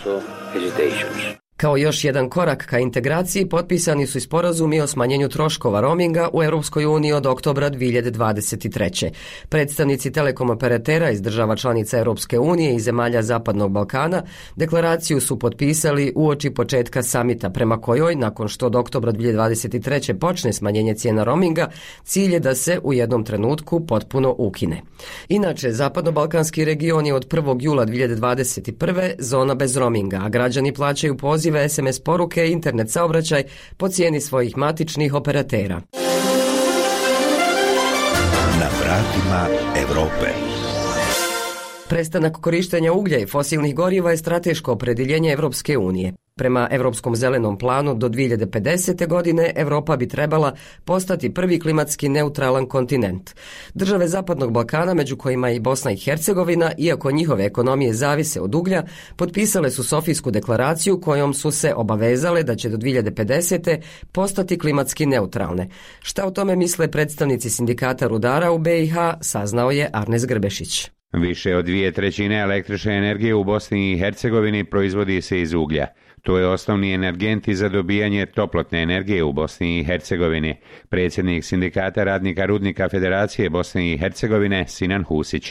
Speaker 1: Kao još jedan korak ka integraciji potpisani su i sporazumi o smanjenju troškova roaminga u Europskoj uniji od oktobra 2023. Predstavnici telekom operatera iz država članica Europske unije i zemalja Zapadnog Balkana deklaraciju su potpisali uoči početka samita, prema kojoj, nakon što od oktobra 2023. počne smanjenje cijena roaminga, cilj je da se u jednom trenutku potpuno ukine. Inače, Zapadno-balkanski region je od 1. jula 2021. zona bez roaminga, a građani plaćaju pozive, SMS poruke i internet saobraćaj po cijeni svojih matičnih operatera.
Speaker 2: Na vratima Evrope.
Speaker 1: Prestanak korištenja uglja i fosilnih goriva je strateško opredjeljenje Evropske unije. Prema Europskom zelenom planu do 2050. godine Europa bi trebala postati prvi klimatski neutralan kontinent. Države Zapadnog Balkana, među kojima i Bosna i Hercegovina, iako njihove ekonomije zavise od uglja, potpisale su Sofijsku deklaraciju kojom su se obavezale da će do 2050. postati klimatski neutralne. Šta o tome misle predstavnici sindikata rudara u BiH, saznao je Arnes Grbešić.
Speaker 27: Više od 2/3 električne energije u Bosni i Hercegovini proizvodi se iz uglja.
Speaker 9: To je osnovni energent za dobijanje toplotne energije u Bosni i Hercegovini. Predsjednik Sindikata radnika rudnika Federacije Bosne i Hercegovine Sinan Husić.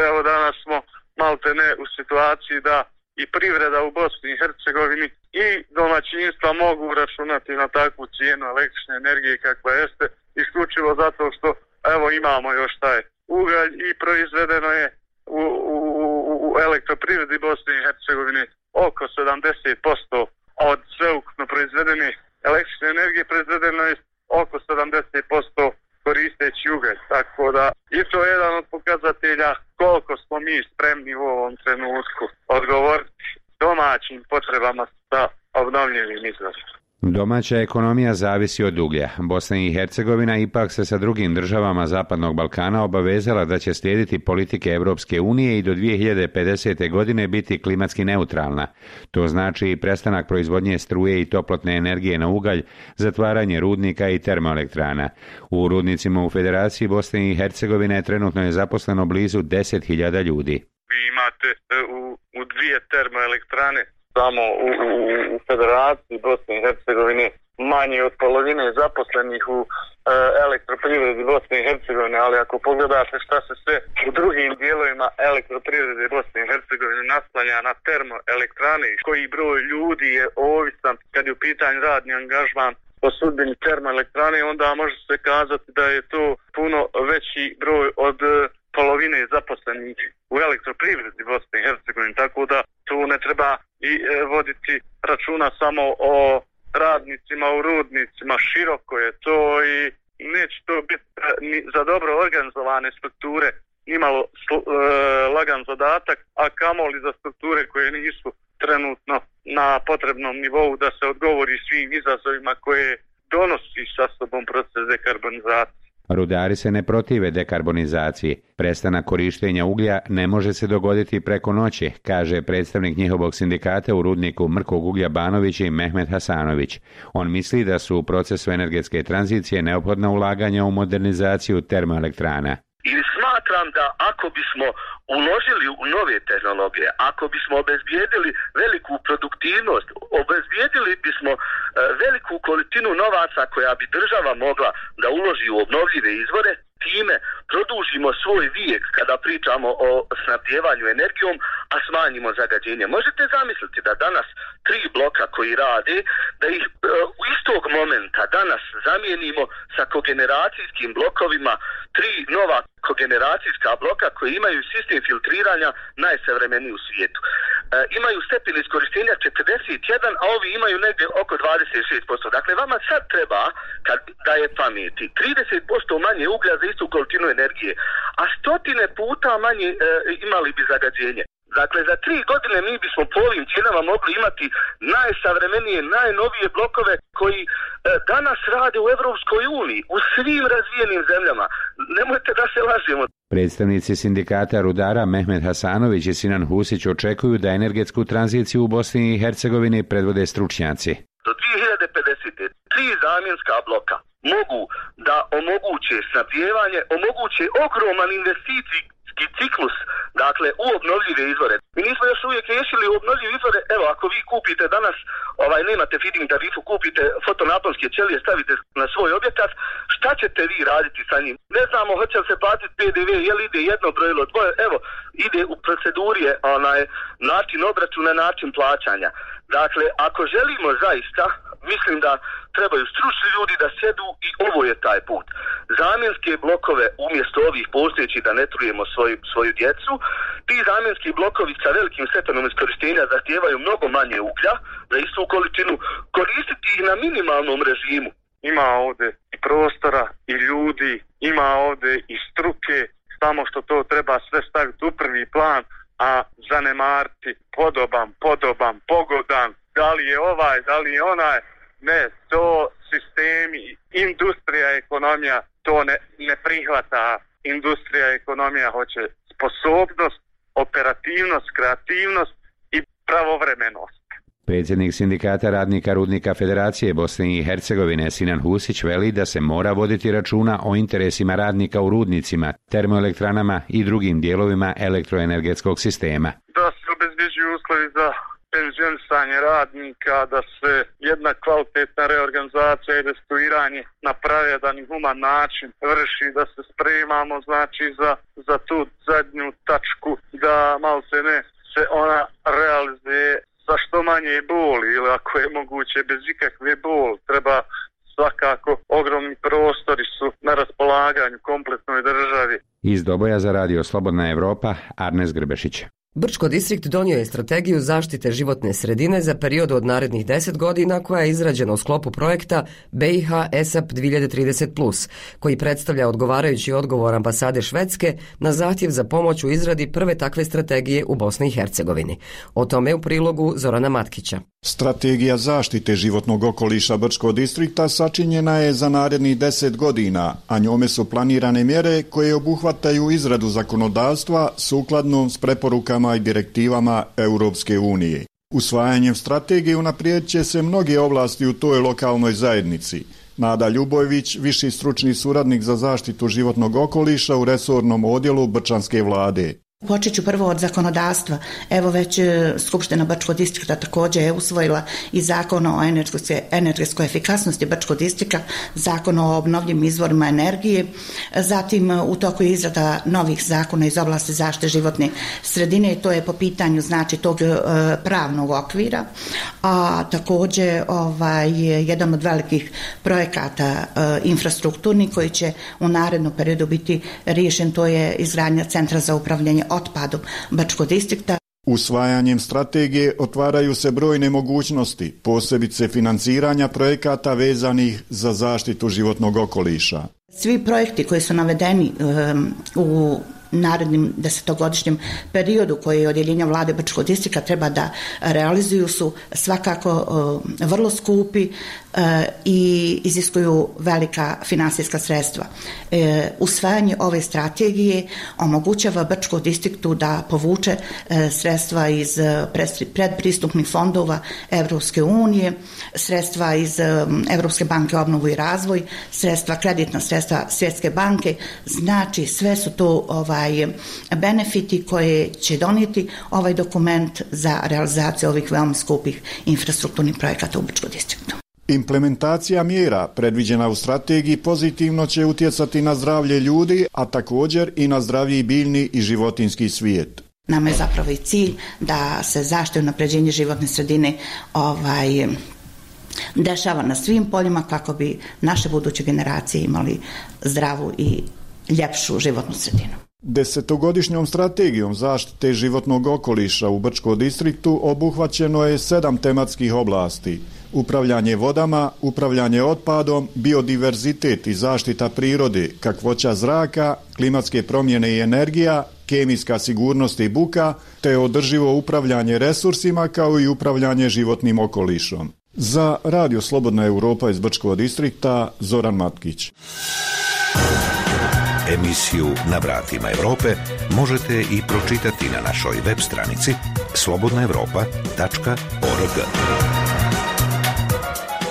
Speaker 8: Evo danas smo maltene u situaciji da i privreda u Bosni i Hercegovini i domaćinstva mogu računati na takvu cijenu električne energije kakva jeste, isključivo zato što evo imamo još taj ugalj i proizvedeno je u elektroprivredi Bosne i Hercegovine oko 70% od sveukupno proizvedene električne energije proizvedeno je oko 70% koristeći ugalj. Tako da i to je jedan od pokazatelja koliko smo mi spremni u ovom trenutku odgovoriti domaćim potrebama sa obnovljivim izvorima.
Speaker 9: Domaća ekonomija zavisi od uglja. Bosna i Hercegovina ipak se sa drugim državama Zapadnog Balkana obavezala da će slijediti politike Europske unije i do 2050. godine biti klimatski neutralna. To znači i prestanak proizvodnje struje i toplotne energije na ugalj, zatvaranje rudnika i termoelektrana. U rudnicima u Federaciji Bosne i Hercegovine trenutno je zaposleno blizu 10.000 ljudi.
Speaker 8: Vi imate u dvije termoelektrane samo u Federaciji Bosne i Hercegovine manje od polovine zaposlenih u elektroprivredi Bosne i Hercegovine, ali ako pogledate šta se sve u drugim dijelovima elektroprivrede Bosne i Hercegovine naslanja na termoelektrane, koji broj ljudi je ovisan kad je u pitanju radni angažman po sudbini termoelektrane, onda može se kazati da je to puno veći broj od polovine zaposlenih u elektroprivredi Bosne i Hercegovine, tako da tu ne treba i voditi računa samo o radnicima u rudnicima, široko je to i neće to biti ni za dobro organizovane strukture nimalo lagan zadatak, a kamoli za strukture koje nisu trenutno na potrebnom nivou da se odgovori svim izazovima koje donosi sa sobom proces dekarbonizacije.
Speaker 9: Rudari se ne protive dekarbonizaciji. Prestanak korištenja uglja ne može se dogoditi preko noći, kaže predstavnik njihovog sindikata u rudniku Mrkog uglja Banović i Mehmet Hasanović. On misli da su u procesu energetske tranzicije neophodna ulaganja u modernizaciju termoelektrana.
Speaker 10: I smatram da ako bismo uložili u nove tehnologije, ako bismo obezbijedili veliku produktivnost, obezbijedili bismo veliku količinu novaca koja bi država mogla da uloži u obnovljive izvore, time produžimo svoj vijek kada pričamo o snabdijevanju energijom, a smanjimo zagađenje. Možete zamisliti da danas 3 bloka koji rade, da ih u istog momenta danas zamijenimo sa kogeneracijskim blokovima 3 nova kogeneracijska bloka koji imaju sistem filtriranja najsavremeniji u svijetu. Imaju stepen iskorištenja 41, a ovi imaju negdje oko 26%. Dakle, vama sad treba, kad daje pameti, 30% manje uglja za istu količinu energije, a 100 puta manje imali bi zagađenje. Dakle, za 3 godine mi bismo po ovim cijenama mogli imati najsavremenije, najnovije blokove koji danas rade u Europskoj uniji, u svim razvijenim zemljama. Nemojte da se lažemo.
Speaker 9: Predstavnici sindikata rudara Mehmet Hasanović i Sinan Husić očekuju da energetsku tranziciju u Bosni i Hercegovini predvode stručnjaci.
Speaker 10: Do 2050. 3 zamjenska bloka mogu da omoguće snabdijevanje, omoguće ogroman investicijski ciklus, dakle u obnovljive izvore. Mi nismo još uvijek riješili obnovljive izvore. Evo, ako vi kupite danas, nemate feed-in tarifu, kupite fotonaponske ćelije, stavite na svoj objekat, šta ćete vi raditi sa njim? Ne znamo hoće li se platiti PDV, je li ide jedno brojilo, dvoje, evo, ide u proceduri način obračuna, način plaćanja. Dakle, ako želimo zaista, mislim da trebaju stručni ljudi da sjedu i ovo je taj put. Zamjenske blokove umjesto ovih postojećih da ne trujemo svoju djecu, ti zamjenski blokovi sa velikim stepenom iskorištenja zahtijevaju mnogo manje uglja za istu količinu, koristiti ih na minimalnom režimu.
Speaker 8: Ima ovdje i prostora i ljudi, ima ovdje i struke, samo što to treba sve staviti u prvi plan, a zanemariti podoban, pogodan, da li je ovaj, da li je onaj. Ne, to sistemi, industrija, ekonomija to ne prihvata. Industrija, ekonomija hoće sposobnost, operativnost, kreativnost i pravovremenost.
Speaker 9: Predsjednik sindikata radnika rudnika Federacije Bosne i Hercegovine Sinan Husić veli da se mora voditi računa o interesima radnika u rudnicima, termoelektranama i drugim dijelovima elektroenergetskog sistema.
Speaker 8: Da se obezbjeđuju uslovi za penzionisanje radnika, da se jedna kvalitetna reorganizacija i restrukturiranje na pravedan i human način vrši, da se spremamo znači za tu zadnju tačku, da malo se ne se ona realizuje sa što manje boli ili ako je moguće bez ikakve boli. Treba svakako ogromni prostori su na raspolaganju kompletnoj državi.
Speaker 9: Iz Doboja za radio Slobodna Evropa, Arnes Grbešić.
Speaker 1: Brčko distrikt donio je strategiju zaštite životne sredine za period od narednih 10 godina koja je izrađena u sklopu projekta BiH ESAP 2030+, koji predstavlja odgovarajući odgovor ambasade Švedske na zahtjev za pomoć u izradi prve takve strategije u Bosni i Hercegovini. O tome u prilogu Zorana Matkića.
Speaker 11: Strategija zaštite životnog okoliša Brčkog distrikta sačinjena je za narednih 10 godina, a njome su planirane mjere koje obuhvataju izradu zakonodavstva sukladno s preporukama i direktivama Europske unije. Usvajanjem strategije unaprijedit će se mnoge oblasti u toj lokalnoj zajednici. Nada Ljubojević, viši stručni suradnik za zaštitu životnog okoliša u resornom odjelu Brčanske vlade.
Speaker 12: Počet ću prvo od zakonodavstva. Evo već Skupština Brčkog distrikta također je usvojila i zakon o energetskoj efikasnosti Brčkog distrikta, zakon o obnovljivim izvorima energije, zatim u toku je izrada novih zakona iz oblasti zaštite životne sredine i to je po pitanju znači tog pravnog okvira, a također jedan od velikih projekata infrastrukturni koji će u narednom periodu biti riješen, to je izgradnja centra za upravljanje otpadom Brčkog distrikta.
Speaker 11: Usvajanjem strategije otvaraju se brojne mogućnosti, posebice financiranja projekata vezanih za zaštitu životnog okoliša.
Speaker 12: Svi projekti koji su navedeni u narednim 10-godišnjem periodu koji je odjeljenja vlade Brčkog distrikta treba da realizuju su svakako vrlo skupi i iziskuju velika finansijska sredstva. Usvajanje ove strategije omogućava Brčkom distriktu da povuče sredstva iz predpristupnih fondova Evropske unije, sredstva iz Evropske banke obnovu i razvoj, kreditna sredstva Svjetske banke, znači sve su to benefiti koje će donijeti ovaj dokument za realizaciju ovih veoma skupih infrastrukturnih projekata u Brčkom distriktu.
Speaker 11: Implementacija mjera predviđena u strategiji pozitivno će utjecati na zdravlje ljudi, a također i na zdravlji biljni i životinjski svijet.
Speaker 12: Nama je zapravo i cilj da se zaštita i unapređenje životne sredine dešava na svim poljima kako bi naše buduće generacije imali zdravu i ljepšu životnu sredinu.
Speaker 11: 10-godišnjom strategijom zaštite životnog okoliša u Brčkom distriktu obuhvaćeno je 7 tematskih oblasti. Upravljanje vodama, upravljanje otpadom, biodiverzitet i zaštita prirode, kakvoća zraka, klimatske promjene i energija, kemijska sigurnost i buka, te održivo upravljanje resursima kao i upravljanje životnim okolišom. Za Radio Slobodna Europa iz Brčkog distrikta, Zoran Matkić.
Speaker 2: Emisiju Na vratima Europe možete i pročitati na našoj web stranici slobodnaevropa.org.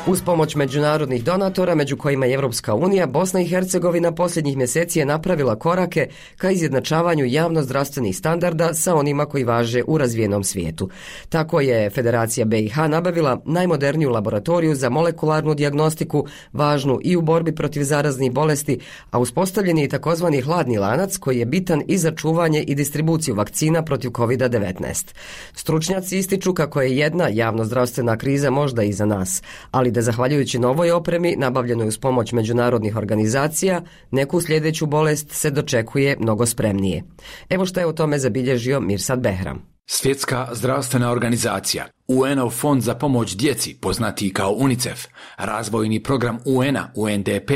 Speaker 1: Uz pomoć međunarodnih donatora, među kojima je Evropska unija, Bosna i Hercegovina posljednjih mjeseci je napravila korake ka izjednačavanju javno-zdravstvenih standarda sa onima koji važe u razvijenom svijetu. Tako je Federacija BiH nabavila najmoderniju laboratoriju za molekularnu dijagnostiku, važnu i u borbi protiv zaraznih bolesti, a uspostavljen je i takozvani hladni lanac koji je bitan i za čuvanje i distribuciju vakcina protiv COVID-19. Stručnjaci ističu kako je jedna javno-zdravstvena kriza možda iza nas, ali da zahvaljujući novoj opremi, nabavljenoj uz pomoć međunarodnih organizacija, neku sljedeću bolest se dočekuje mnogo spremnije. Evo šta je o tome zabilježio Mirsad Behram.
Speaker 19: Svjetska zdravstvena organizacija, UN-ov fond za pomoć djeci, poznati kao UNICEF, razvojni program UN-a, UNDP,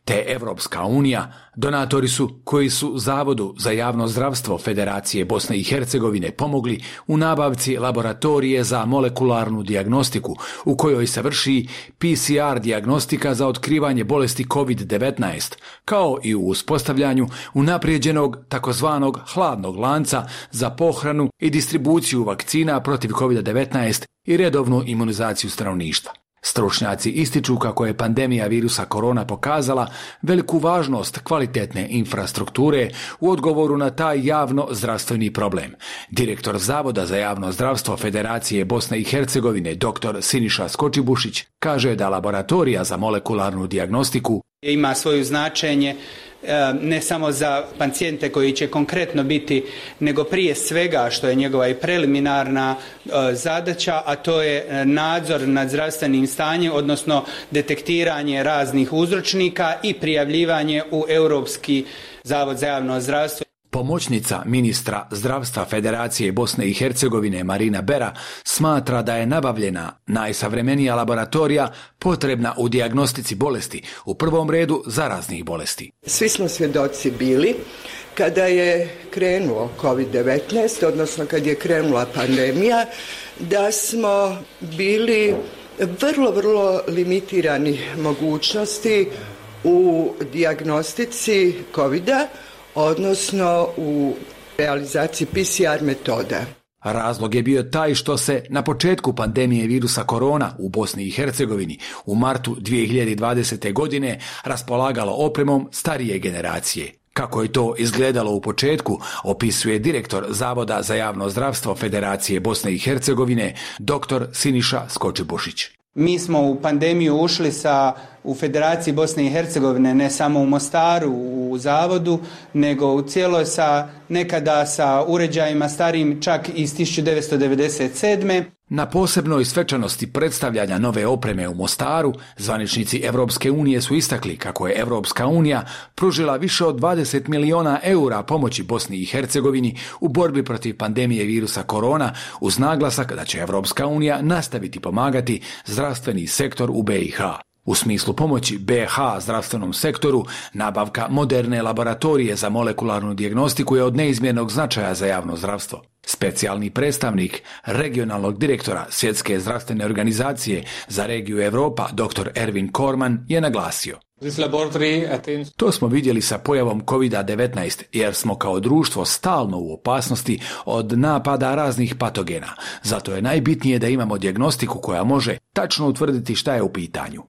Speaker 19: te Evropska unija, donatori su koji su Zavodu za javno zdravstvo Federacije Bosne i Hercegovine pomogli u nabavci laboratorije za molekularnu dijagnostiku, u kojoj se vrši PCR dijagnostika za otkrivanje bolesti COVID-19, kao i u uspostavljanju unaprijeđenog takozvanog hladnog lanca za pohranu i distribuciju vakcina protiv COVID-19 i redovnu imunizaciju stanovništva. Stručnjaci ističu kako je pandemija virusa korona pokazala veliku važnost kvalitetne infrastrukture u odgovoru na taj javno zdravstveni problem. Direktor Zavoda za javno zdravstvo Federacije Bosne i Hercegovine, dr. Siniša Skočibušić, kaže da laboratorija za molekularnu dijagnostiku
Speaker 13: ima svoje značenje ne samo za pacijente koji će konkretno biti, nego prije svega što je njegova i preliminarna zadaća, a to je nadzor nad zdravstvenim stanjem, odnosno detektiranje raznih uzročnika i prijavljivanje u Europski zavod za javno zdravstvo.
Speaker 19: Pomoćnica ministra zdravstva Federacije Bosne i Hercegovine Marina Bera smatra da je nabavljena najsavremenija laboratorija potrebna u dijagnostici bolesti, u prvom redu zaraznih bolesti.
Speaker 14: Svi smo svjedoci bili kada je krenuo COVID-19, odnosno kad je krenula pandemija, da smo bili vrlo limitirani mogućnosti u dijagnostici COVID-a, odnosno u realizaciji PCR metoda.
Speaker 19: Razlog je bio taj što se na početku pandemije virusa korona u Bosni i Hercegovini u martu 2020. godine raspolagalo opremom starije generacije. Kako je to izgledalo u početku, opisuje direktor Zavoda za javno zdravstvo Federacije Bosne i Hercegovine, dr. Siniša Skočibušić.
Speaker 13: Mi smo u pandemiju ušli u Federaciji Bosne i Hercegovine, ne samo u Mostaru, u zavodu, nego u cijeloj nekada sa uređajima starijim čak iz 1997.
Speaker 19: Na posebnoj svečanosti predstavljanja nove opreme u Mostaru, zvaničnici Evropske unije su istakli kako je Evropska unija pružila više od 20 miliona eura pomoći Bosni i Hercegovini u borbi protiv pandemije virusa korona, uz naglasak da će Evropska unija nastaviti pomagati zdravstveni sektor u BiH. U smislu pomoći BiH zdravstvenom sektoru, nabavka moderne laboratorije za molekularnu dijagnostiku je od neizmjernog značaja za javno zdravstvo. Specijalni predstavnik regionalnog direktora Svjetske zdravstvene organizacije za regiju Europa, dr. Erwin Korman, je naglasio: to smo vidjeli sa pojavom COVID-19 jer smo kao društvo stalno u opasnosti od napada raznih patogena. Zato je najbitnije da imamo dijagnostiku koja može tačno utvrditi šta je u pitanju.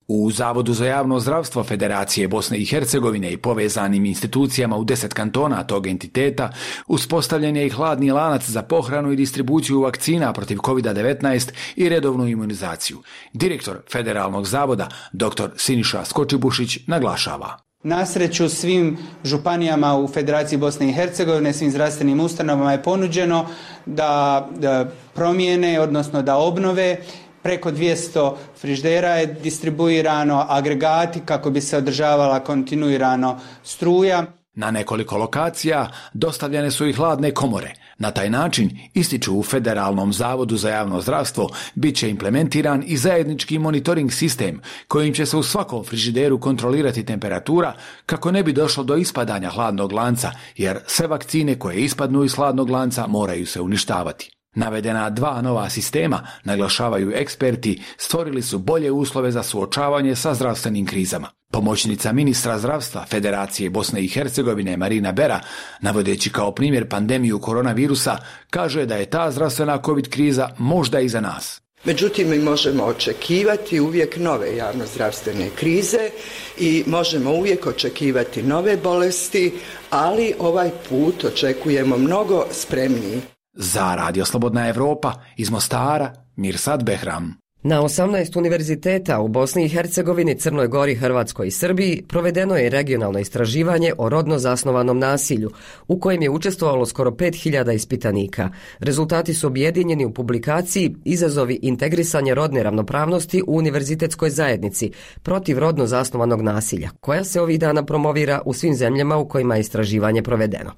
Speaker 19: U Zavodu za javno zdravstvo Federacije Bosne i Hercegovine i povezanim institucijama u 10 kantona tog entiteta uspostavljen je i hladni lanac za pohranu i distribuciju vakcina protiv COVID-19 i redovnu imunizaciju. Direktor Federalnog zavoda, dr. Siniša Skočibušić, naglašava:
Speaker 13: Na sreću svim županijama u Federaciji Bosne i Hercegovine, svim zdravstvenim ustanovama je ponuđeno da promijene, odnosno da obnove. Preko 200 frižidera je distribuirano, agregati kako bi se održavala kontinuirano struja.
Speaker 19: Na nekoliko lokacija dostavljene su i hladne komore. Na taj način, ističu u Federalnom zavodu za javno zdravstvo, bit će implementiran i zajednički monitoring sistem kojim će se u svakom frižideru kontrolirati temperatura kako ne bi došlo do ispadanja hladnog lanca, jer sve vakcine koje ispadnu iz hladnog lanca moraju se uništavati. Navedena 2 nova sistema, naglašavaju eksperti, stvorili su bolje uslove za suočavanje sa zdravstvenim krizama. Pomoćnica ministra zdravstva Federacije Bosne i Hercegovine Marina Bera, navodeći kao primjer pandemiju koronavirusa, kaže da je ta zdravstvena COVID kriza možda iza nas.
Speaker 14: Međutim, mi možemo očekivati uvijek nove javnozdravstvene krize i možemo uvijek očekivati nove bolesti, ali ovaj put očekujemo mnogo spremniji.
Speaker 19: Za Radio Slobodna Evropa iz Mostara, Mirsad Behram.
Speaker 1: Na 18 univerziteta u Bosni i Hercegovini, Crnoj Gori, Hrvatskoj i Srbiji provedeno je regionalno istraživanje o rodno zasnovanom nasilju, u kojem je učestvovalo skoro 5000 ispitanika. Rezultati su objedinjeni u publikaciji Izazovi integrisanja rodne ravnopravnosti u univerzitetskoj zajednici protiv rodno zasnovanog nasilja, koja se ovih dana promovira u svim zemljama u kojima je istraživanje provedeno.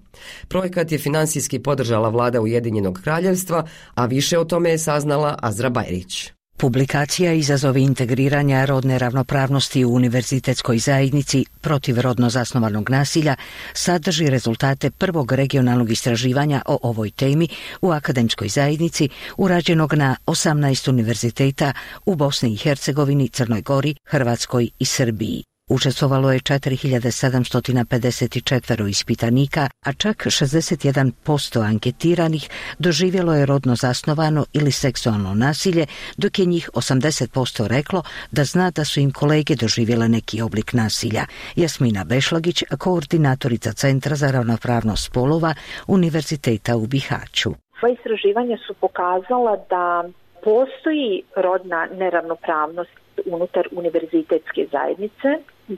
Speaker 1: Projekat je finansijski podržala vlada Ujedinjenog kraljevstva, a više o tome je saznala Azra Bajrić.
Speaker 15: Publikacija Izazovi integriranja rodne ravnopravnosti u univerzitetskoj zajednici protiv rodno zasnovanog nasilja sadrži rezultate prvog regionalnog istraživanja o ovoj temi u akademskoj zajednici urađenog na 18 univerziteta u Bosni i Hercegovini, Crnoj Gori, Hrvatskoj i Srbiji. Učestvovalo je 4754 ispitanika, a čak 61% anketiranih doživjelo je rodno zasnovano ili seksualno nasilje, dok je njih 80% reklo da zna da su im kolege doživjele neki oblik nasilja. Jasmina Bešlagić, koordinatorica Centra za ravnopravnost spolova Univerziteta u Bihaću.
Speaker 3: Ova istraživanja su pokazala da postoji rodna neravnopravnost unutar univerzitetske zajednice,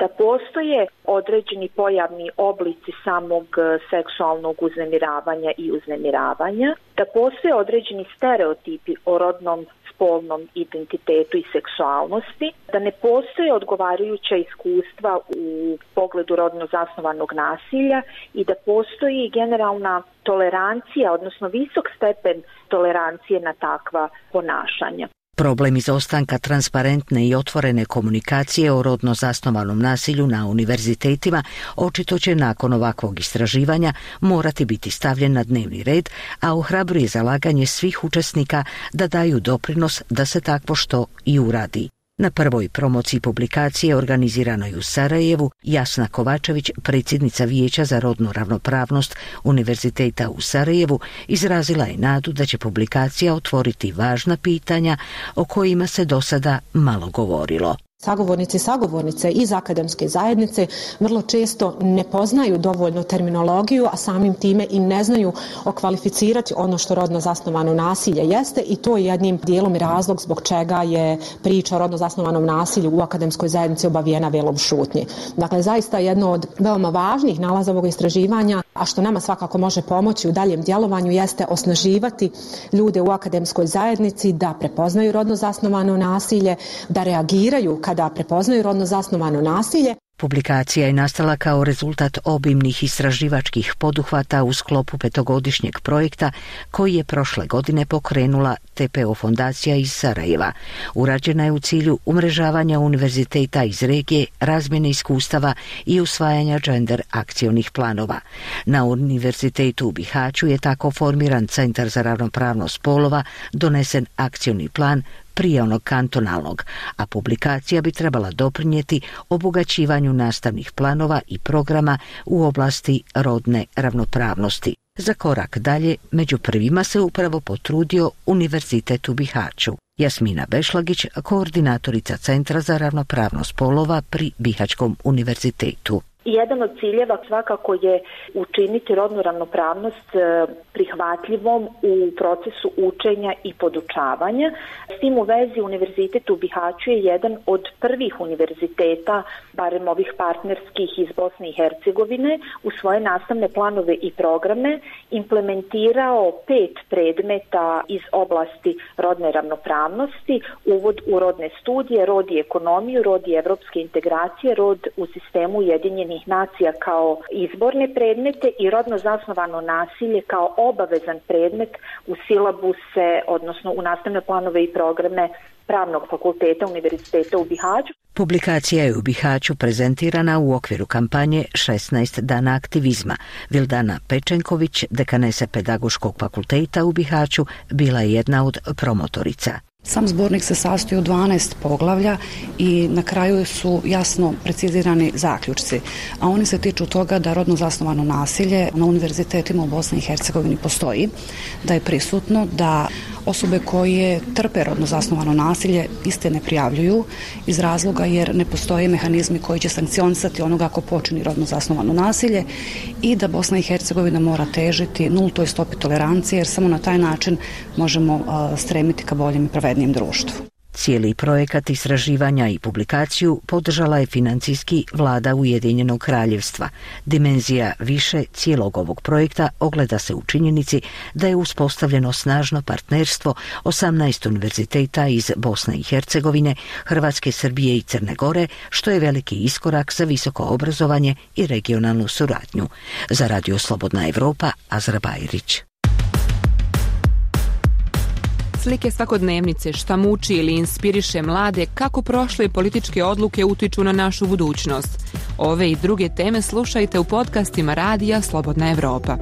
Speaker 3: da postoje određeni pojavni oblici samog seksualnog uznemiravanja i uznemiravanja, da postoje određeni stereotipi o rodnom spolnom identitetu i seksualnosti, da ne postoje odgovarajuća iskustva u pogledu rodno zasnovanog nasilja i da postoji generalna tolerancija, odnosno visok stepen tolerancije na takva ponašanja.
Speaker 15: Problem izostanka transparentne i otvorene komunikacije o rodno zasnovanom nasilju na univerzitetima očito će nakon ovakvog istraživanja morati biti stavljen na dnevni red, a ohrabruje zalaganje svih učesnika da daju doprinos da se takvo što i uradi. Na prvoj promociji publikacije organiziranoj u Sarajevu, Jasna Kovačević, predsjednica Vijeća za rodnu ravnopravnost Univerziteta u Sarajevu, izrazila je nadu da će publikacija otvoriti važna pitanja o kojima se do sada malo govorilo.
Speaker 4: Sagovornici i sagovornice iz akademske zajednice vrlo često ne poznaju dovoljno terminologiju, a samim time i ne znaju okvalificirati ono što rodno zasnovano nasilje jeste, i to je jednim dijelom razlog zbog čega je priča o rodno zasnovanom nasilju u akademskoj zajednici obavijena velom šutnje. Dakle, zaista jedno od veoma važnih nalaza ovog istraživanja, a što nama svakako može pomoći u daljem djelovanju, jeste osnaživati ljude u akademskoj zajednici da prepoznaju rodno zasnovano nasilje, da reagiraju kada prepoznaju rodno zasnovano nasilje.
Speaker 15: Publikacija je nastala kao rezultat obimnih istraživačkih poduhvata u sklopu 5-godišnjeg projekta koji je prošle godine pokrenula TPO fondacija iz Sarajeva. Urađena je u cilju umrežavanja univerziteta iz regije, razmjene iskustava i usvajanja gender akcionih planova. Na Univerzitetu u Bihaću je tako formiran Centar za ravnopravnost spolova, donesen akcioni plan prije onog kantonalnog, a publikacija bi trebala doprinijeti obogaćivanju nastavnih planova i programa u oblasti rodne ravnopravnosti. Za korak dalje, među prvima se upravo potrudio Univerzitet u Bihaću. Jasmina Bešlagić, koordinatorica Centra za ravnopravnost spolova pri Bihaćkom univerzitetu.
Speaker 3: Jedan od ciljeva svakako je učiniti rodnu ravnopravnost prihvatljivom u procesu učenja i podučavanja. S tim u vezi Univerzitet u Bihaću je jedan od prvih univerziteta, barem ovih partnerskih iz Bosne i Hercegovine, u svoje nastavne planove i programe implementirao 5 predmeta iz oblasti rodne ravnopravnosti: uvod u rodne studije, rod i ekonomiju, rod i evropske integracije, rod u sistemu Ujedinjenih nacija kao izborne predmete i rodno zasnovano nasilje kao obavezan predmet u silabuse, odnosno u nastavne planove i programe Pravnog fakulteta Univerziteta u Bihaću.
Speaker 15: Publikacija je u Bihaću prezentirana u okviru kampanje 16 dana aktivizma. Vildana Pečenković, dekanesa Pedagoškog fakulteta u Bihaću, bila je jedna od promotorica.
Speaker 16: Sam zbornik se sastoji od 12 poglavlja i na kraju su jasno precizirani zaključci, a oni se tiču toga da rodno zasnovano nasilje na univerzitetima u Bosni i Hercegovini postoji, da je prisutno, da osobe koje trpe rodno zasnovano nasilje iste ne prijavljuju iz razloga jer ne postoje mehanizmi koji će sankcionisati onoga ko počini rodno zasnovano nasilje, i da Bosna i Hercegovina mora težiti nultoj stopi tolerancije, jer samo na taj način možemo stremiti ka boljem i pravednijem društvu.
Speaker 15: Cijeli projekat istraživanja i publikaciju podržala je financijski vlada Ujedinjenog kraljevstva. Dimenzija više cijelog ovog projekta ogleda se u činjenici da je uspostavljeno snažno partnerstvo 18 univerziteta iz Bosne i Hercegovine, Hrvatske, Srbije i Crne Gore, što je veliki iskorak za visoko obrazovanje i regionalnu suradnju. Za Radio Slobodna Evropa, Azra Bajrić.
Speaker 17: Slike svakodnevnice, šta muči ili inspiriše mlade, kako prošle političke odluke utiču na našu budućnost. Ove i druge teme slušajte u podcastima Radija Slobodna Evropa.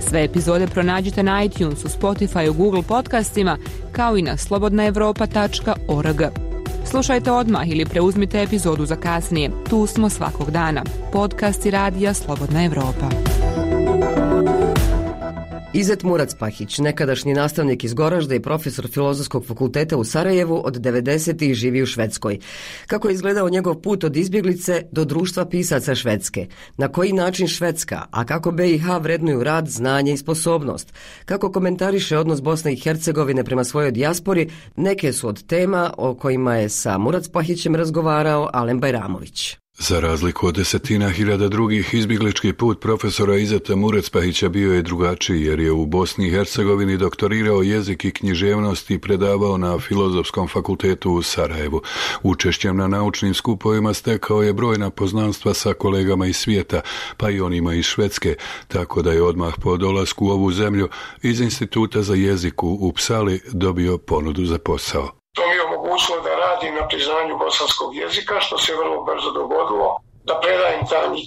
Speaker 17: Sve epizode pronađite na iTunesu, Spotifyu, Google podcastima, kao i na slobodnaevropa.org. Slušajte odmah ili preuzmite epizodu za kasnije. Tu smo svakog dana. Podcast i radija Slobodna Evropa.
Speaker 1: Izet Murac-Pahić, nekadašnji nastavnik iz Goražda i profesor Filozofskog fakulteta u Sarajevu, od 90-ih živi u Švedskoj. Kako je izgledao njegov put od izbjeglice do društva pisaca Švedske? Na koji način Švedska, a kako BiH vrednuju rad, znanje i sposobnost? Kako komentariše odnos Bosne i Hercegovine prema svojoj dijaspori? Neke su od tema o kojima je sa Murac-Pahićem razgovarao Alen Bajramović.
Speaker 5: Za razliku od desetina hiljada drugih, izbjeglički put profesora Izeta Murac-Pahića bio je drugačiji, jer je u Bosni i Hercegovini doktorirao jezik i književnost i predavao na Filozofskom fakultetu u Sarajevu. Učešćem na naučnim skupovima stekao je brojna poznanstva sa kolegama iz svijeta, pa i onima iz Švedske, tako da je odmah po dolasku u ovu zemlju iz Instituta za jezik u Uppsali dobio ponudu za posao.
Speaker 23: To mi je omogućilo da radim na priznanju bosanskog jezika, što se vrlo brzo dogodilo, da predajem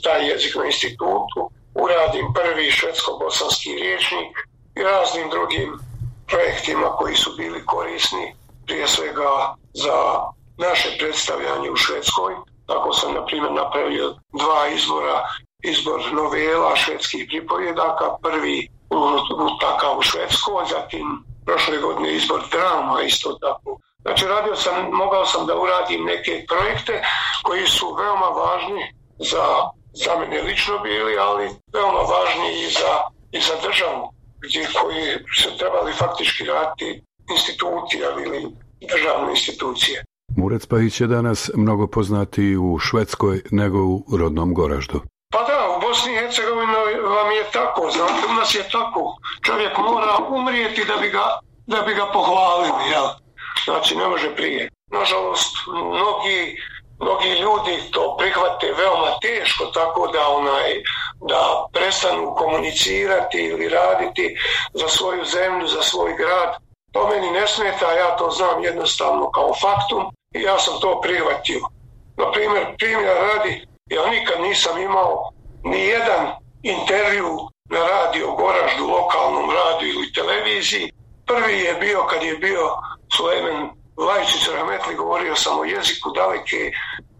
Speaker 23: taj jezik na institutu, uradim prvi švedsko-bosanski rječnik i raznim drugim projektima koji su bili korisni, prije svega za naše predstavljanje u Švedskoj. Tako sam, na primjer, napravio 2 izbora, izbor novela švedskih pripovjedaka, prvi takav u Švedskoj, zatim prošle godine izbor drama isto tako. Znači, mogao sam da uradim neke projekte koji su veoma važni za mene lično bili, ali veoma važni i za državu, koji su trebali faktički raditi instituti ili državne institucije.
Speaker 5: Murac-Pahić je danas mnogo poznatiji u Švedskoj nego u rodnom Goraždu.
Speaker 23: Pa da, u Bosni i Hercegovini vam je tako, znate, u nas je tako. Čovjek mora umrijeti da bi ga pohvalili, jel? Znači, ne može prije. Nažalost, mnogi ljudi to prihvate veoma teško, tako da prestanu komunicirati ili raditi za svoju zemlju, za svoj grad. To meni ne smeta, ja to znam jednostavno kao faktum i ja sam to prihvatio. Na primjer radi, ja nikad nisam imao ni jedan intervju na radio Goraždu, lokalnom radiju ili televiziji. Prvi je bio kad je bio Sulejman Vlajčić Rahmetli, govorio sam o jeziku daleke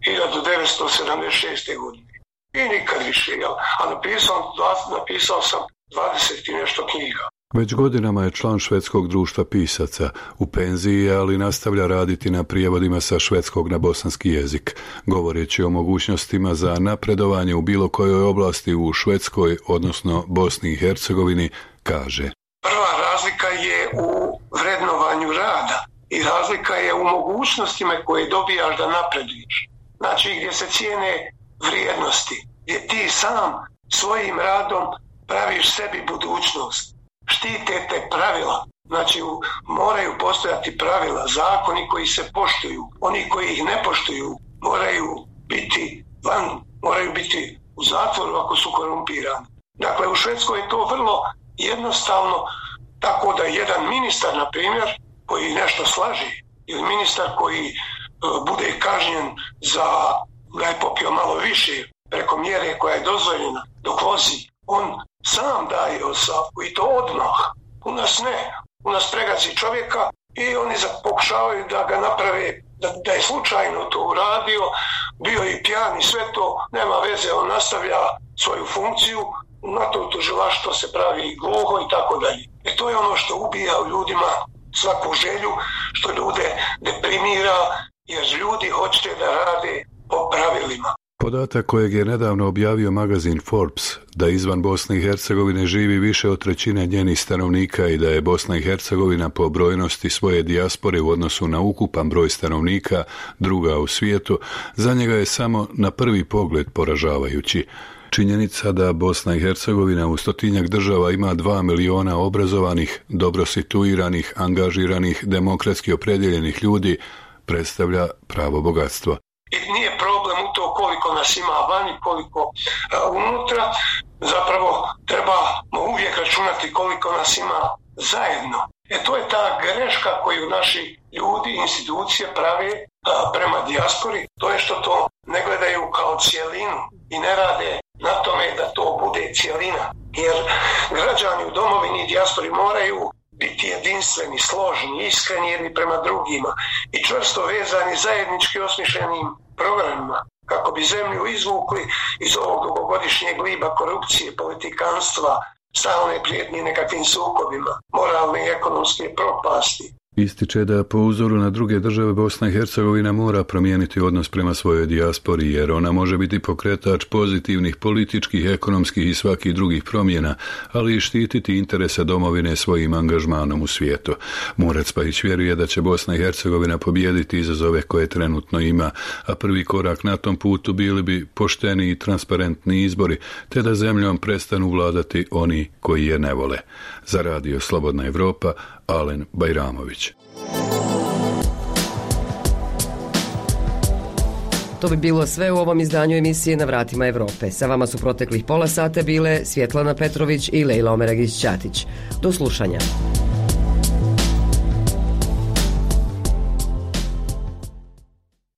Speaker 23: 1976. godine. I nikad više, jel? A napisao sam 20 i nešto knjiga.
Speaker 5: Već godinama je član Švedskog društva pisaca. U penziji je, ali nastavlja raditi na prijevodima sa švedskog na bosanski jezik. Govoreći o mogućnostima za napredovanje u bilo kojoj oblasti u Švedskoj, odnosno Bosni i Hercegovini, kaže:
Speaker 23: Prva razlika je u vrednovanju rada i razlika je u mogućnostima koje dobijaš da napreduješ. Znači, gdje se cijene vrijednosti, gdje ti sam svojim radom praviš sebi budućnost. Štite te pravila. Znači, moraju postojati pravila, zakoni koji se poštuju. Oni koji ih ne poštuju moraju biti u zatvoru ako su korumpirani. Dakle, u Švedskoj je to vrlo jednostavno, tako da jedan ministar, na primjer, koji nešto slaži, ili ministar koji bude kažnjen da je popio malo više preko mjere koja je dozvoljena dok vozi, on sam daje ostavku i to odmah. U nas ne. U nas pregazi čovjeka i oni pokušavaju da ga naprave, da je slučajno to uradio, bio i pijan i sve to, nema veze, on nastavlja svoju funkciju, na to tužilaštvo se pravi gluho i tako dalje. I to je ono što ubija u ljudima svaku želju, što ljude deprimira, jer ljudi hoće da rade po pravilima.
Speaker 5: Podatak kojeg je nedavno objavio magazin Forbes, da izvan Bosne i Hercegovine živi više od trećine njenih stanovnika i da je Bosna i Hercegovina po brojnosti svoje dijaspore u odnosu na ukupan broj stanovnika druga u svijetu, za njega je samo na prvi pogled poražavajući. Činjenica da Bosna i Hercegovina u 100-tinjak država ima 2 miliona obrazovanih, dobro situiranih, angažiranih, demokratski opredjeljenih ljudi predstavlja pravo bogatstvo.
Speaker 23: I nije problem u to koliko nas ima vani, koliko unutra. Zapravo trebamo uvijek računati koliko nas ima zajedno. To je ta greška koju naši ljudi, institucije prave prema dijaspori. To je što to ne gledaju kao cijelinu i ne rade na tome da to bude cijelina. Jer građani u domovini i dijaspori moraju biti jedinstveni, složni, iskreni jedni prema drugima i čvrsto vezani zajednički osmišljenim programima kako bi zemlju izvukli iz ovog dugogodišnjeg gliba korupcije, politikanstva, stalne prijetnje nekakvim sukobima, moralne i ekonomske propasti.
Speaker 5: Ističe da po uzoru na druge države Bosna i Hercegovina mora promijeniti odnos prema svojoj dijaspori jer ona može biti pokretač pozitivnih političkih, ekonomskih i svakih drugih promjena, ali i štititi interese domovine svojim angažmanom u svijetu. Murat Spahić vjeruje da će Bosna i Hercegovina pobijediti izazove koje trenutno ima, a prvi korak na tom putu bili bi pošteni i transparentni izbori, te da zemljom prestanu vladati oni koji je ne vole. Za Radio Slobodna Evropa, Alen Bajramović.
Speaker 1: To bi bilo sve u ovom izdanju emisije Na vratima Evrope. Sa vama su proteklih pola sata bile Svjetlana Petrović i Lejla Omeragić-Ćatić. Do slušanja.